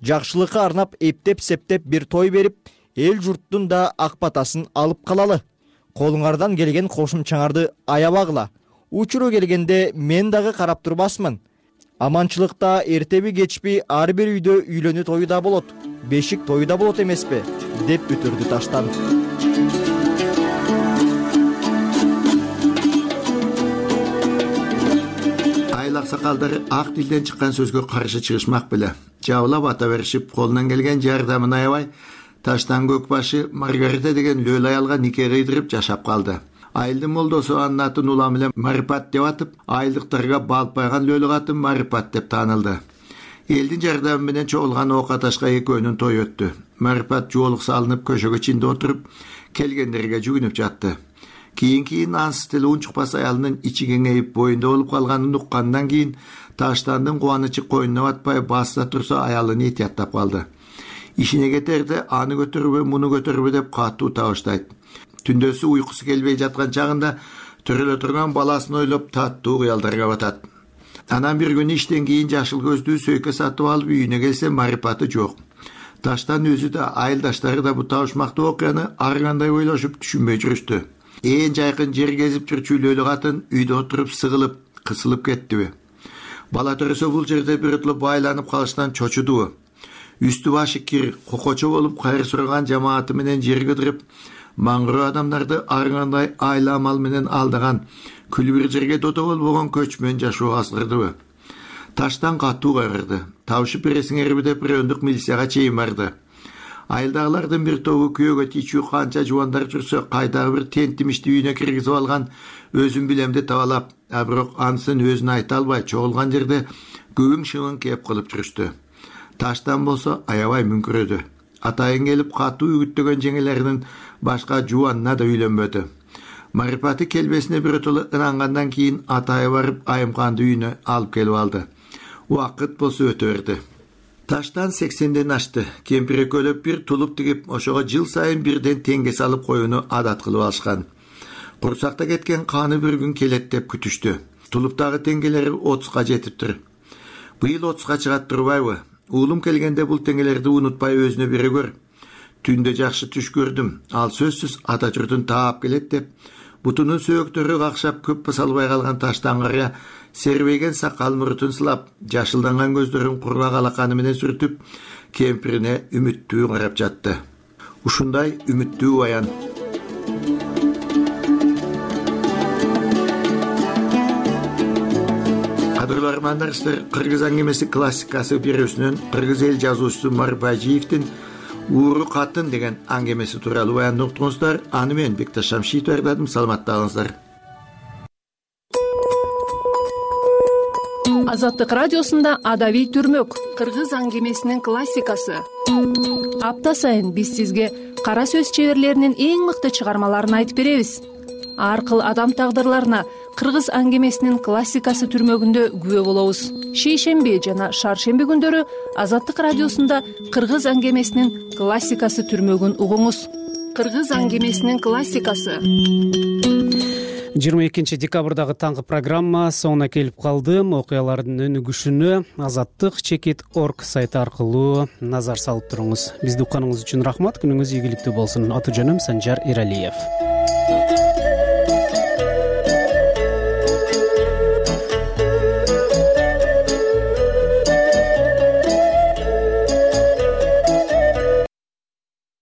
Жакшылыкка арнап эптеп-септеп бир той берип, эл журттун да ак батасын алып калалы. Колуңардан келген кошумчаңарды аябагыла. Учуру келгенде мен дагы карап турбасмын. Аманчылыкта эртеби кечпи ар бир үйдө үйлөнүү тою да болот, бешик тою да болот эмеспи? Деп бүтүрдү Таштан. Айыл аксакалдары ак тилден чыккан сөзгө каршы чыгышмак беле. Жабылап ата беришип, колунан келген жардамын аябай, Таштан Көкбашы Маргарита деген лөл аялга нике кыйдырып жашап калды. Айылдын молдосу анын атын улам эле Марипат деп атып, айылдыктарга балпайган лөлү катын Марипат деп таанылды. Элдин жардамы менен чогулган ок аташка экөөнүн той өттү. Марипат жоолук салынып көшөгө чинде отуруп, келгендерге жүгүнүп жатты. Кийин-кийин ансыз тили унчукпас аялынын ичи кеңейип боюнда болуп калганын уккандан кийин Таштандын кубанычы койнуна батпай баста турса аялын этияттап калды. Ишине кетерде аны көтөрбө, муну көтөрбө деп катуу табыштайт. Түндөсү уйкусу келбей жаткан чагында төрөлө турган баласын ойлоп таттуу кыялдарга батат. Анан бир күнү иштен кийин жашыл көздүү сөйкө сатып алып үйүнө келсе, Марипаты жок. Таштан өзү да, айылдаштары да бу табышмактуу окуяны ар кандай ойлошуп түшүнбөй жүрүштү. Ээн жайкын жер кезип жүрчү лөлү катын үйдө отуруп сыгылып, кысылып кеттиби? Бала төрөсө бул жерде бирөтлө байланып калыштан чочудубу? Үстү башы кир, кокочо болуп кайыр сураган жамааты менен жер кыдырып, маңгыроо адамдарды ар кандай айла амал менен алдаган, күлү бир жерге дото болбогон көчмөн жашоо азгырдыбы? Таштан катуу кайгырды. Табышып бересиңерби деп райондук милицияга чейин барды. Айылдагылардын бир тобу күйөөгө тийчүү канча жубандар жүрсө, кайдагы бир тентимишти үйүнө киргизип алган, өзүн билемди табалап, а бирок анысын өзүнө айта албай чогулган жерде көбүң шыбын кеп кылып жүрүштү. Таштан болсо аябай мүңкүрөдү. Атайын келип катуу үгүттөгөн жеңелеринин башка жубанына да үйлөнбөдү. Марипаты келбесине бирөтөлө ынангандан кийин атайы барып Айымканды үйүнө алып келип алды. Убакыт болсо өтө берди. Таштан сексенден ашты. Кемпир экөөлөп бир тулуп тигип, ошого жыл сайын бирден теңге салып коюуну адат кылып алышкан. Курсакта кеткен каны бир күн келет деп күтүштү. Тулуптагы теңгелери отузга жетиптир. Быйыл отузга чыгат турбайбы? Уулум келгенде бул теңгелерди унутпай өзүнө бере көр. Түндө жакшы түш көрдүм. Ал сөзсүз ата журтун таап келет деп, бутунун сөөктөрү какшап көп салбай калган Таштан карыя сербейген сакал мурутун сылап, жашылданган көздөрүн кургак алаканы менен сүртүп, кемпирине үмүттүү карап жатты. Ушундай үмүттүү баян. Кадырлуу армандаштар, кыргыз аңгемеси классикасы берүүсүнөн кыргыз эл жазуучусу Марбажиевдин ууру катын деген аңгемеси тууралуу баянды уктуңуздар. Аны мен Бекташ Шамшиев даярдадым. Саламатталыңыздар. Азаттык радиосунда адабий түрмөк кыргыз аңгемесинин классикасы. Апта сайын биз сизге кара сөз чеберлеринин эң мыкты чыгармаларын айтып беребиз. Ар кыл адам тагдырларына кыргыз аңгемесинин классикасы түрмөгүндө күбө болобуз. Шейшемби жана шаршемби күндөрү Азаттык радиосунда кыргыз аңгемесинин классикасы түрмөгүн угуңуз. Кыргыз аңгемесинин классикасы. жыйырма экинчи декабрдагы таңкы программа соңуна келип калды. Окуялардын өнүгүшүнө азаттык чекит орг сайты аркылуу назар салып туруңуз. Бизди укканыңыз үчүн рахмат. Күнүңүз ийгиликтүү болсун. Аты жөнүм Санжар Эралиев.